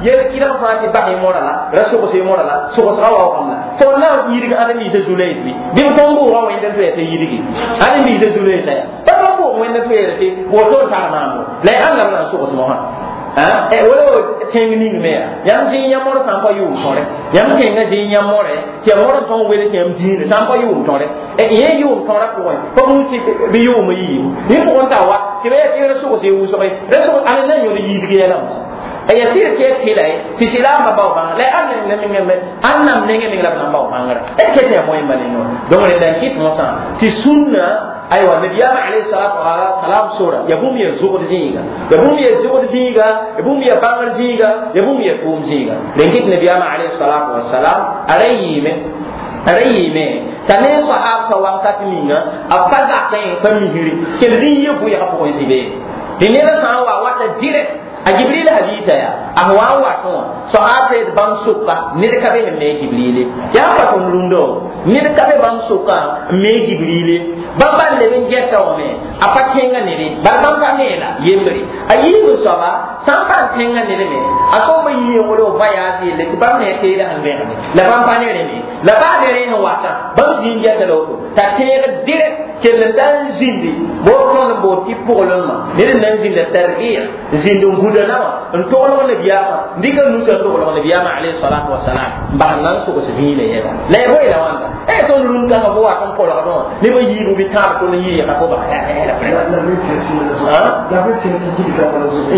Speaker 1: yel kɩdg fãa tɩ bas y morã la ra sogs y morã la sogsga waoogame la fo na n yidg ãd n biisã zu-loees bɩ bɩ b tõn bʋʋgã wẽnd n toa tɩ yidgi ãd n biisã zu-loeesa yaa pa tõn bʋʋg wẽnd n toa tɩ woto n tar maamo la y ãnda b na n sogs mosã wala tẽng ning me yaa yãmb zĩig yã mor sã n pa yʋʋm tõre yãmb kẽngã zĩig yã more tɩ ya mor n tõn wels yãmb dĩinã sã n pa yʋʋm tõre yẽ yʋʋm tõrã pʋgẽ pa buus tɩ bɩ yʋʋm yiibu yẽ pʋgẽ t'a wa tɩ ba yaa tɩ ra sogs y wʋsge ra sogs ãn na n yõd yiidg yɛla ya tɩ tɩ tɩla tɩ sɩlaambã bao bãnga la ãn nam nengẽ meng la b na n bao bãngrã d ket yaa moẽmba ne noor donc rẽnda n kɩt mosã tɩ sũnna aywa nabiyaam alayhi salatu wasalam sora ya bũmb ya zʋgd zĩiga ya bũmb ya zʋgd zĩiga ya bũmb ya bãngr zĩiga ya bũmb ya tʋʋm zĩiga rẽn kɩt nabiyaam alayhi salatu wasalam a ra yɩɩme a ra yɩɩme t'a ne sahab sa wakat ninga a pa zakẽ pa misri kell zĩ yɩ vʋɩgã pʋgẽ zĩ be tɩ ned sã n wa wata direct a jibril hadisa ya a wa n watẽ wã soaab d bãmb sʋka ned ka be sẽn me jibrile yaa pa tõnd rũndã ned ka be bãmb sʋka n me jibrile bãmb ban leb n gɛta wame a pa kẽnga nede bala bãmb pa meela yembre a yiib soaba sã n pa n kẽnga ned me a sõmba yii n wala voyage yelle tɩ bãmb ne teeda sẽn vẽgde la bãmb pa ne rẽme la baa ne rẽ sẽn watã bãmb zĩig n gɛta la woto t'a tẽeg direct kell n da n zĩndi bo tõnd n bood tɩ pʋglmã ned n na n zĩnda tarbiya zĩnd n gũda nawa n toglg nabiyaamã n dɩka nusa n toglg nabiyaamã alayhi salatu wasalam n bas n na n sogs vĩinã yɛla la ya boe la wãnda e tõnd rũnd kãngã fo wat n kolgdẽ wã nebã yiibu bɩ tãab tõnd n yɩɩga fo bas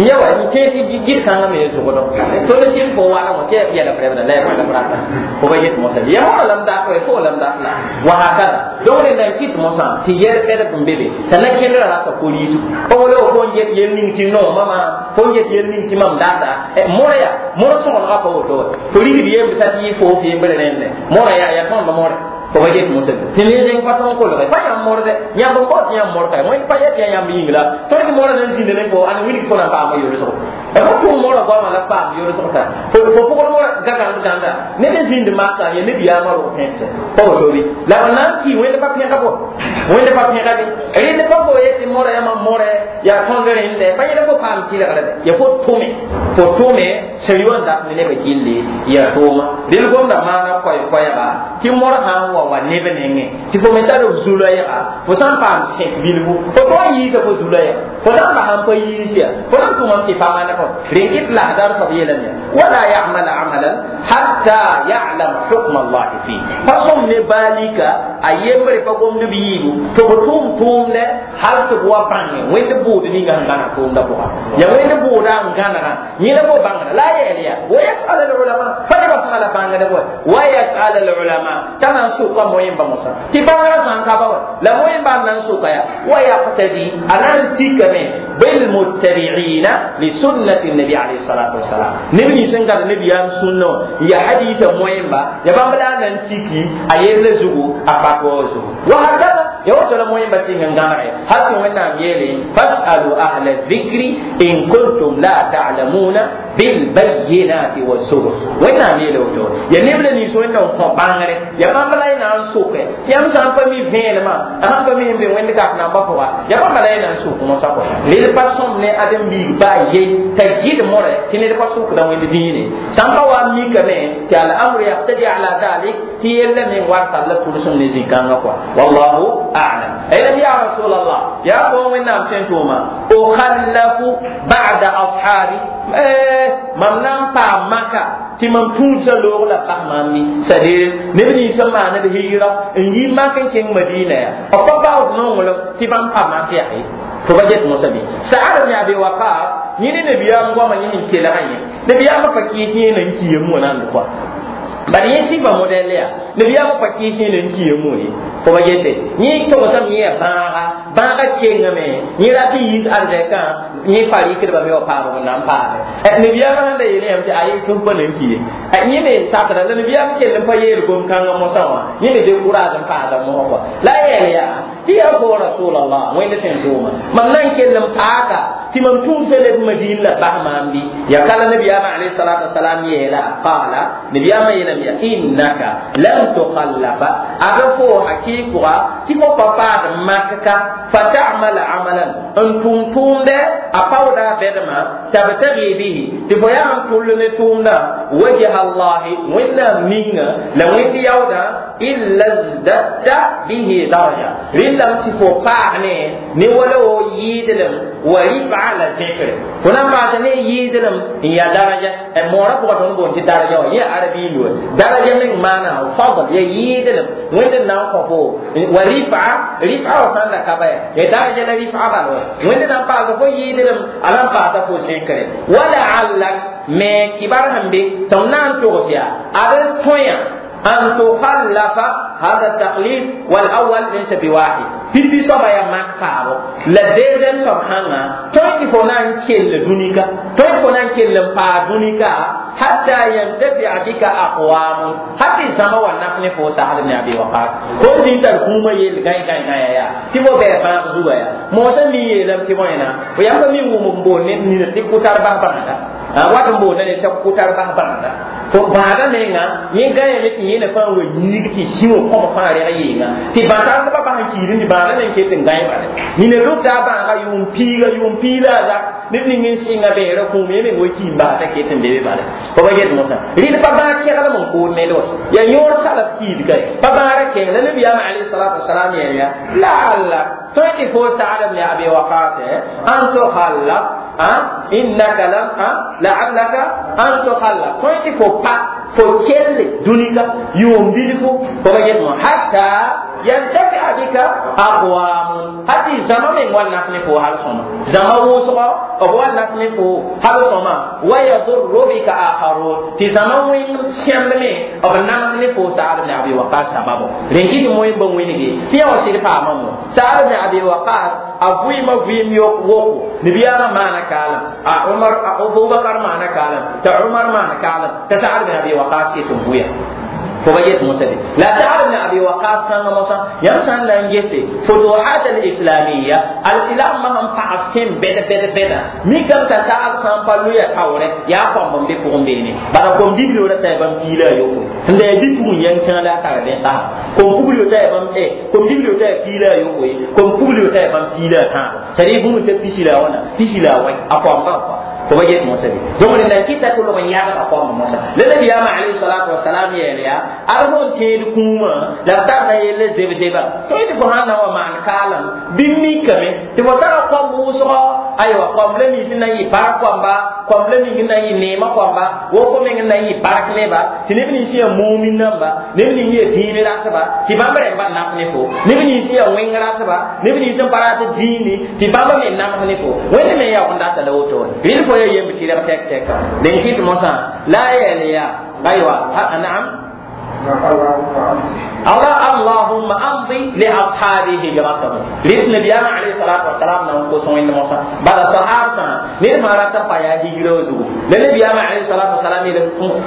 Speaker 1: ya wa n kẽes gɩd kãngã me zʋgdɔ tõnd sɩd fo wala wã tɩ yɛla pʋrɛbda la ya boe la brata fo ba yet mosã ya fo lam dat fo lam dat la wa hakada donc rẽnda n kɩt mosã tɩ yɛl pɛdb n be be t'a na kẽndrã rata poliisu pa wala fo n get yel ning tɩ noomã fo n get yel ning tɩ mam data mora yaa mora sõgenga pa woto wa fo rigd yemb sa tɩ yɩ fo f yembre rẽndẽ mora yaa yaa tõnd more fo ba get mosã tɩ ne zẽng pa tõn kolge pa yãmb morde yãmb n bao tɩ yãmb mor ka wẽnd pa yɛ tɩ yaa yãmb yĩng la tõnd tɩ mora nan zĩnda ne fo ãn wilg fo na n paama yolsgo fo tʋm mora goamã la paam yolsg t'a fo pʋgd mora gagãnd gãnda ned n zĩnd maka ya nebiyaamã rog tẽnsẽ pa woto bɩ la b na n kɩ wẽnd pa pẽga bo wẽnd pa pẽga bɩ rẽnd pa fo yetɩ mora yãmã more yaa tõnd rẽndɛ pa yẽla fo paam tɩlgre dɛ ya fo tʋme fo tʋme sẽn yʋ n dat ne nebã gilli ya tʋʋma dẽl gomda maana koɛɛ-koɛɛga tɩ mor sã n wa wa neb nengẽ tɩ fo me tar b zu-loɛɛga fo sã n paam sẽk bilfu fo tõe n yiisa fo zu-loɛɛga fo sã n bas n pa yiis yaa fo na n tʋmame tɩ pa maana ريكت لا دار فبيلم ولا يعمل عملا حتى يعلم حكم الله فيه فصم نبالك ايمر فقوم نبيبو تبتوم توم له هل تبوا بانه وين بود نيغا غانا توم دا بوا يا وين بود غانا ني لا بو بانغ لا يليا ويسأل العلماء فنبا فلا بانغ دبوا ويسأل العلماء تما سوق موين بموسى تي بانغ سان كابا لا موين بان نان سوق يا ويقتدي انا تيكمه بالمتبعين لسنة النبي عليه الصلاة والسلام نبي سنغار نبي ام سنة يا حديث موين با يا بامبلا نان تيكي ايل زوغو افاكو زوغو وهكذا يا وصل موين با سين غانا حتى وين يلي فاسألوا أهل الذكر إن كنتم لا تعلمون بالبينات والزبر وين يلي وتو يا نبلا ني سوين دون بانغري يا بامبلا نان سوك يا مسان فمي فيلما انا فمي بي وين كاف نان با يا بامبلا نان سوك مو ساكو لي façon ne adem bi ba ye tajid more tine de façon ko dan wende dine samba wa mi kame ti al amru yaqtadi ala dhalik ti yella min warta la pulsum ne zikanga quoi wallahu a'lam aylam ya rasulullah ya ko min nam tentuma o khallafu ba'da ashabi eh mamnan pa maka ti mam tuusa loog la pa mami c'est-à-dire neb nins n maana d hijra n yi mak n kẽng madina ya b pa baood nonglem tɩ bãmb pa mak yaa ye fo ba get mosã bɩ Sa'ad ibn Abi Waqqas yẽ ne nabiyaam goamã yẽ sẽn kelgã yẽ nabiyaamã pa kɩɩs yẽ na n kiam wã nan quoi bari yẽ sɩfa modɛl yaa nabiyaamã pa kɩɩs yẽ na n kiam wã ye fo ba gete yẽ togsame yẽ yaa bãaga bãaga kengame yẽ rat n yiis arzɛkã yẽ pa rɩkdbame wa paam b na n paame nabiyaamã sẽn da yeele yãmb tɩ aye tɩ f pa na n ki ye yẽ me sakda la nabiyaam kell n pa yeel gom-kãngã mosã wã yẽ me décourage n paasa mosã kɔa la a yɛl yaa tɩ yaa fo rasulallah wẽnd sẽn tʋʋma mam na n kell n paaka tɩ mam tũusa leb madin la bas maam bɩ ya kala nabiyaamã alayhi salatu wasalam yeela qaala nabiyaamã yeelame ya innaka lam tukhallafa ad fo hakɩɩkʋga tɩ fo pa paad makka fatamala amalan n tʋm tʋʋmdɛ a paooda bɛdmã tabtagi bihi tɩ fo yaa n tʋll ne tʋʋmdã wajha allahi wẽnnaam ninga la wẽnd yaoodã illa zdatta bihi daraja rẽndame tɩ fo paag ne ne wala wo yɩɩdlem wa rifa la zẽkre fo na n paasa ne yɩɩdlem n yaa daraja moorã pʋgã tõnd boond tɩ daraja wã yẽ arabi loe daraja meng maana fadl ya yɩɩdlem wẽnd n na n kõ fo wa rifa rifa wa sãn da ka ba ya ya daraja la rifa bal wa wẽnd na n paasa fo yɩɩdlem a na n paasa fo zẽkre wa laallak me kibar sẽn be tɩ m na n togs yaa ad n tõe أن تخلف هذا التقليد والأول ليس بواحد pipi soaba yaa mak paabo la deuxième soab sãnga tõe tɩ fo na n kell dũnika tõe tɩ fo na n kell n paa dũnika hatta yantafia bika aqwamun hal tɩ zãma wa naf ne fo Sa'd ibn Abi Waqqas fo n zĩn tar kũumã yell gãe gãe gãe yaa tɩ fo bɩ bãag zuga yaa moosã mi yeelame tɩ bõe na fo yãmb pa mi wʋm n boond ned nina tɩ kʋtar bas bãada wat n boonda ned tɩ kʋtar bas bãada fo bãada menga yẽ gãyame tɩ yẽna fãa wa yiig tɩ sĩwã kõm fãa reg yɩɩnga tɩ bãtardbã bas n kiid tɩ bãada meng ket n gãe bale nina lʋbda a bãaga yʋʋm piiga yʋʋm piila a zak neb ning n sɩnga beera kũum yẽ meng wa kiim baasa ket n be be bale fo ba get mosã rɩd pa bãag keglem n kood ned wa yaa yõor salaf kiid ka pa bãara kẽng la nabiyaamã alayhi salatu wasalam yeel yaa laalla tõe tɩ fo Sa'd ibn Abi Waqqas an tukhallaf innaka lam la'allaka an tukhallaf tõe tɩ fo pa fo kelle dũnika yʋʋm bilfu fo ba get mo hatta yantafi'a bika aqwamun hati zama meng wa naf ne fo hal sõma zama wʋsgɔ b wa naf ne fo hal sõma wa yadurru bika akharun tɩ zama wẽng sẽmd me b namd ne fo Sa'd ibn Abi Waqqas sababo rẽn kɩ moẽ ba wẽnege tɩ yã wa sɩd paamã mo Sa'd ibn Abi Waqqas a vɩɩmã vɩɩm yok woko nabiyaamã maana kaalem a Umar a Abubakar maana kaalem t'a Umar maana kaalem t'a Sa'd ibn Abi Waqqas ket n vʋya fo ba yet mosã de la Sa'd ibn Abi Waqqas kãngã mosã yãmb sã n na n gese futuhat al-islamiyya al-islam ma sẽn pags kẽn bɛd bɛd bɛda mikame t'a Sa'd sã n pa loya taoorɛ yaa kõmb n be pʋgẽ beene bala kom-bibliora t'a yaa bãmb piila a yopoe sẽn da yaa bi-pugẽ yãng kãa la a tara dẽ sasa kom-pugl t'a yaa bãmb kom-bibli t'a yaa piila a yopoe kom-pugl t'a yaa bãmb piila a tãabo c'est-à-dire bũmb t'a pisi la a wãna pisi la a wɛ a kõmba kɔa fo ba get mosa bɩ donc rẽnda n kɩta tɩ log n yagda koamba mosa la nabiyaamã alayhi salatu wasalam yeel yaa ad fo n tẽed kũumã la b tarda yelle zeb-zeba tõe tɩ fo sãn na wa maan kaalem bɩ mikame tɩ fo tara koamb wʋsgɔ aywa koamb la nins n na n yɩ bark koamba koamb la ning n na n yɩ neemã koamba woko meng n na n yɩ bark neba tɩ neb nins yaa mumin namba neb ning yaa dĩin ratba tɩ bãmb rẽmba nap ne fo neb nins yaa wẽng ratba neb nins n pa rat dĩini tɩ bãmb me nams ne fo wẽnd me yaoog n data la woto rɩl fo yaa yemb tɩrg tɛk tɛka dẽn kɩt mosã la a yeel yaa aywa naam الله اللهم امضي لاصحابي هجرتهم ريت نبينا عليه الصلاه والسلام نان ko son inda mosa bala sahaba ne ma rata pa ya hijira zu le nabiyana alayhi salatu wassalam ile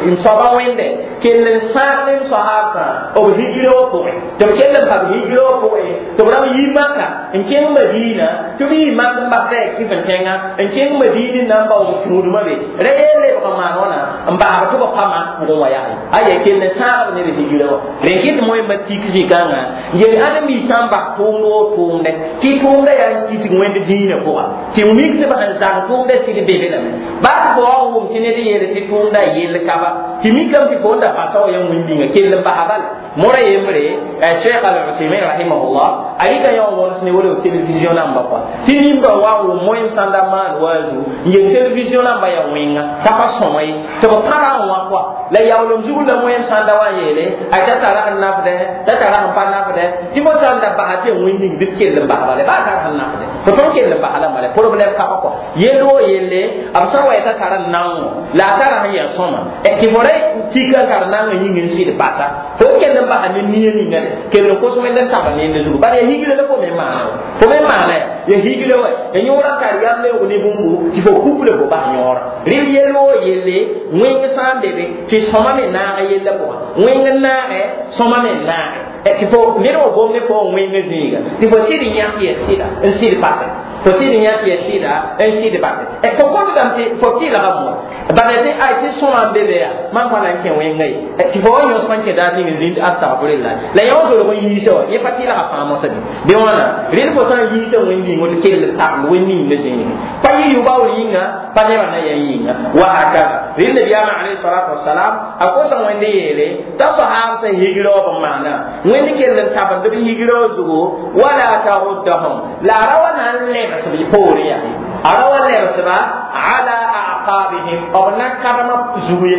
Speaker 1: im soba wende kellen sarlen sahaba o hijira ko to kellen pa hijira ko to bra yi maka en ken madina to bi maka ba te ki fen tenga en ken madina nan ba o tuduma be re le ko ma nona mba ba to pa ma ngo wa ya aye kellen sahaba ne hijira wa renkit moy ma tik zikanga yel adami sãn bas tʋʋmd woo tʋʋmdɛ tɩ tʋʋmdã yaa n kɩtg wẽnd dĩinã pʋga tɩ mik tɩ b sẽn zag tʋʋmdã sɩd bebe lame baa tɩ fo wa n wʋm tɩ ned yeel tɩ tʋʋmdã yell kaba tɩ mikame tɩ fo n da basa wa yã wĩn-bĩnga kell n basa bala mora yembre Cheikh Al-Uthaymin rahimahullah a yika yã wõns ne wala television namba kɔa tɩ nimba wa n wʋm moẽ sãnda maan waazu n yel television namba yaa wẽnga t'a pa sõma ye tɩ b pãra n wã kɔa la yaoolem zugr la moẽm sãnda wa n yeele a ta tara n nafdɛ ta tara n pa nafdɛ tɩ fo sãn da basa tɩ ya wẽnd ning bɩ kell n basa bala baa tar sẽn nafdɛ fo tõnd kell n basa la bala problème kaba kɔa yell woo yelle b sã n wa t'a tara naoongõ la a tara sẽn yaa sõma tɩ fo ra tika n tar naangã yĩng n sɩd basa fo kell n basa ne nia ninga de kell n kos wẽnd n taba nende zugu bala ya higle la fo me maana fo me maana ya ya higle wa ya yõora n tar yam leoog ne bũmbu tɩ fo kuple fo bas yõora rɩl yell woo yelle wẽng sã n be be tɩ sõma me naag yella pʋga wẽng n naagɛ sõma me naagɛ tɩ fo ned wa gom ne fo n wẽng zĩiga tɩ fo sɩd n yãk yɛ sɩda n sɩd pase fo sɩd n yãk yɛ sɩda n sɩd pase fo kõtdame tɩ fo tɩlga mo bala tɩ ay tɩ sõma n be be yaa mam pa na n kẽ wẽnga ye tɩ fo wa yõs n kẽ daar ning n zĩnd astagfirullah la yã wa dolg n yiisa wa yẽ pa tɩlga fãa mosã bɩ bɩ wãna rɩl fo sã n yiisa wẽnd-bĩngo tɩ kell tabl wẽnd ninga zĩig pa yɩ yʋ-baoor yĩnga pa nebã na ya yĩnga wa hakada rɩl nabiyaamã alayhi salatu wasalam a kosa wẽnd yeele t'a sahaab sẽn higra b maana wẽnd kell n tabend b higra zugu wala taruddahum la a ra wa na n lebs b poorẽ yaa a ra wa lebsba ala aqabihim b na kadmã zugu ye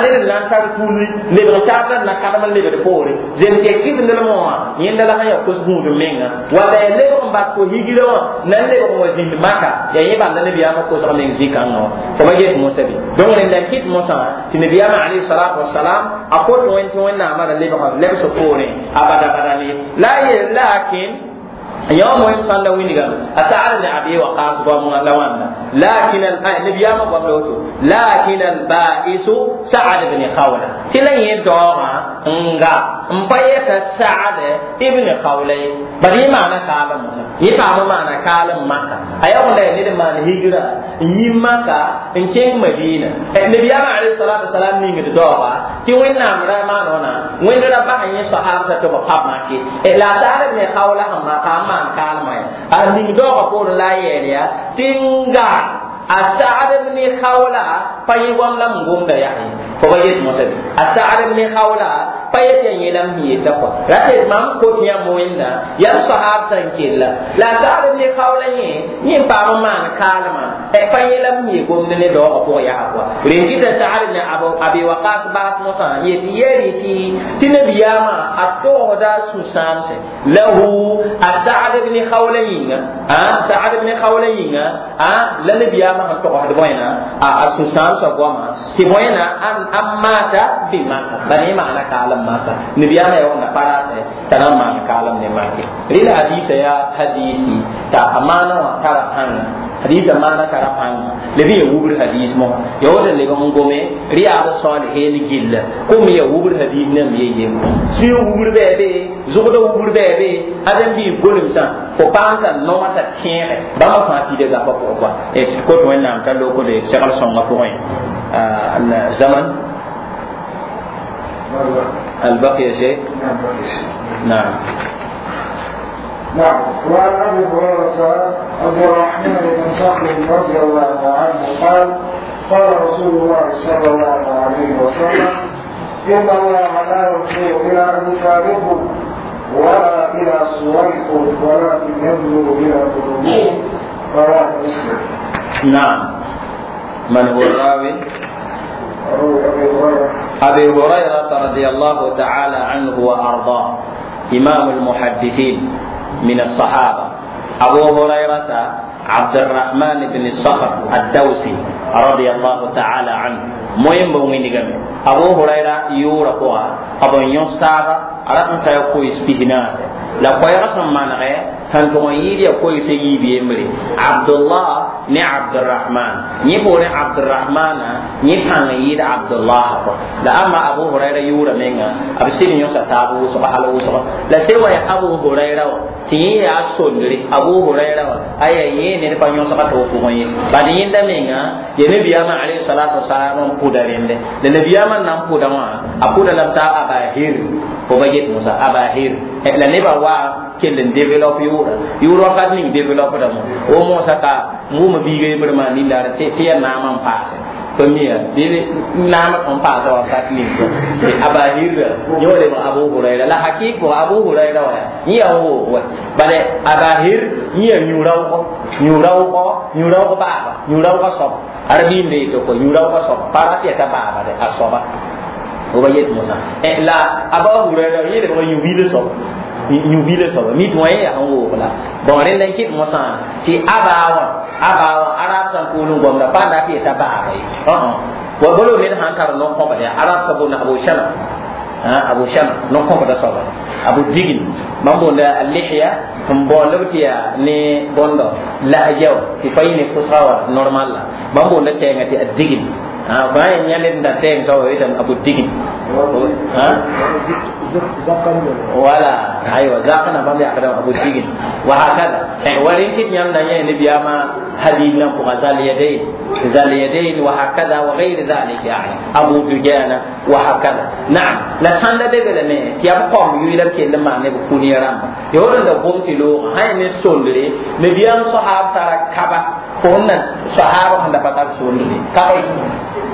Speaker 1: ned n na n tar tulli lebg taab la na kadm n lebd poore zem tɩ kɩsendlmẽ wã yẽnda la sẽn yaa kos gũud menga walla ya lebg n bas fo higra wã na n lebg n wa zĩnd maka yaa yẽ bãmb la nabiyaamã kosg meng zĩ-kãngã wã fo ba get mosã bɩ donc rẽnda n kɩt mosã tɩ nabiyaamã alayhi salatu wasalam a kot wẽnd tɩ wẽnnaamã ra lebg lebs poorẽ a bada bada ne la a yeel lakin يوم يصلى وينغا أسعد بن أبي وقاص قام لوانا لكن النبي يا قام لوتو لكن البائس سعد بن خولة تلا يدوما nga mpayeta سعد ابن خولة bari maana kaalem mosã yẽ paam maana kaalem maka a yaa wẽnda yaa ned n maan higra n yi maka n kẽng madina nabiyaamã alayhi salatu wasalam ningd daooga tɩ wẽnnaam ra maan wãna wẽnd ra bas yẽ sahabsã tɩ b pab make la a Sa'd ibn Khawla sẽn maka n maan kaalmã ya a ning daoogã poorẽ la a yeel yaa tɩ n ga a Sa'd ibn Khawla pa yẽ goam la m gomda yaa ye fo ba yet mosã bɩ a Sa'd ibn Khawla pa yet yaa yẽ la m yeta kɔa ra tɩ mam kot yãmb wẽnda yam sahab sã n kella la a Sa'd ibn Khawla yẽ yẽ n paam n maan kaalmã pa yẽ la m yee gomd ne daoogã pʋgã yaa kɔa rẽn kɩta Sa'd ibn Abi Waqas baas mosã yet yɛrɩ tɩ tɩ nabiyaamã a togsda sũ-sãamsẽ lahu a Sa'd ibn Khawla yĩnga Sa'd ibn Khawla yĩnga la nabiyaamã sẽn togsd bõena a sũ-sãamsã goama tɩ bõena a maata bɩ maka bala yẽ maana kaalem maka nabiyaamã yaa wẽnda pa ratẽ t'a na n maan kaalem ne make rɩla hadiisa yaa hadiisi t'a a maana wã tara pãnga hadiisa maana tara pãnga leb n ya wubr hadiis mosã ya woto leb n gome rɩyaad saaliheen gilla kom ya wubr hadiis nam ye yem sũyã wubr bɩ be zʋgdã wubr bɩ be ãdem-biig golemsã fo paam t'a nooma t'a tẽege bãmba fãa pida gapa pʋgẽ kɔa tɩ kot wẽnnaam t'a lokde segl sõngã pʋgẽ zaman هل بقي شيء؟ نعم
Speaker 2: نعم. وعن أبي هريرة عبد الرحمن بن صخر رضي الله عنه قال: قال رسول الله صلى الله عليه وسلم: إن الله لا ينظر إلى أجسادكم ولا إلى صوركم، ولكن ينظر إلى قلوبكم. رواه مسلم.
Speaker 1: نعم. من هو الراوي؟
Speaker 2: أبي هريرة.
Speaker 1: أبي هريرة رضي الله تعالى عنه وأرضاه، إمام المحدثين من الصحابة، أبو هريرة عبد الرحمن بن الصخر الدوسي رضي الله تعالى عنه. مهم بوين أبو هريرة يورا أبو ينصاب أردت أن يكون بهناس لا قيرة من غير تنتظر يدي كوي سيجي بيمري عبد الله ني عبد الرحمن ني بوري عبد الرحمن ني تان يد عبد الله. لا أما أبو هريرة يورا منغا أبو سيدي يوسف تابو سبحانه الله وسبحانه لا سوى أبو هريرة تي يا سندري أبو هريرة أي يه ني با يوسف تو فوي بعد يندا منغا ينبي أما عليه الصلاة والسلام قدرين ده النبي أما نام قدما أقول لم تا أبا هير فبجيت موسى أبا هير la neba wa kell n develop yʋʋra yʋʋr wakat ning develop damo wo moosã ka wʋma biiga yembr maa nindaara tɩ yaa naamã n paase pa miya bɩ naamã n paasa wakat ning Abahirra yẽ wa lebg Abu Hurayra la hakik pʋgã Abu Hurayra wa yẽ yaa woog wa bala Abahir yẽ yaa yũ-raoogɔ yũ-raoogɔ yũ-raoog baaba yũ-raoogã soab arabiimde yetɩ kɔ yũ-raoogã soab pa rat yɛta baaba de a soaba wo ba yet moosã la Abu Hurayra yẽ lebg yũ-biilã soab yũ-biilã soaba mi tɩ wã yẽ yaa n woog la bon rẽnda n kɩt mosã tɩ abaa wã abaa wã arab sã n kuul n gomda pa n dat yeta baaba ye wa bolo ned sãn tar no-kõbd yaa arab sã boonda Abu Shama Abu Shama no-kõbda soaba Abu Digin bãmb boonda alihya n boond b tɩ yaa ne bõndo lahja wã tɩ pa yẽ ne pʋsga wã normal la bãmb boonda tɛɛngã tɩ a digin fãa yẽ yã ned n da tɛɛng soaba yetame Abu Digin. Voilà, aywa zakana bãmb yakdame Abu Digin wa hakada wa rẽn kɩt yãmb na yẽ nebiyaamã hadith nan pʋga zal yadayn zal yadayn wa hakada wa غير ذلك يعني Abu Dujana wa hakada. Naam, la sãn da be lame tɩ yaa b qom yʋɩla b kell n maan ne b kũnia rãmba yaool n da gom tɩ loogã sã yaa ne sondre nebiyaam sahab tara kaba fo na sahaba sẽn da pa tar sondre kaba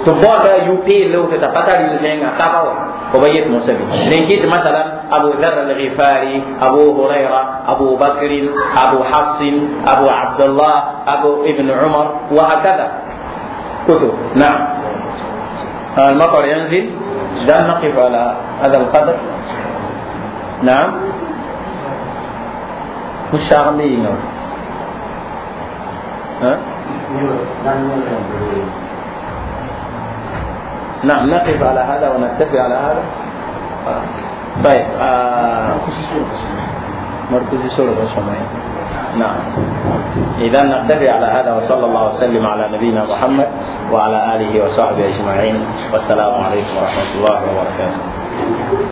Speaker 1: tɩ baooda yu-peello tɩ t'a pa tar yʋ-zẽnga kaba wa وبيت موسى لنجد مثلا أبو ذر الغفاري، أبو هريرة، أبو بكر، أبو حفص، أبو عبد الله، أبو ابن عمر، وهكذا كتب. نعم، المطر ينزل، لا نقف على هذا القدر. نعم، مش ها؟ نعم، نقف على هذا ونكتفي على هذا. طيب آه مركز سورة. نعم، إذا نكتفي على هذا، وصلى الله وسلم على نبينا محمد وعلى آله وصحبه أجمعين، والسلام عليكم ورحمة الله وبركاته.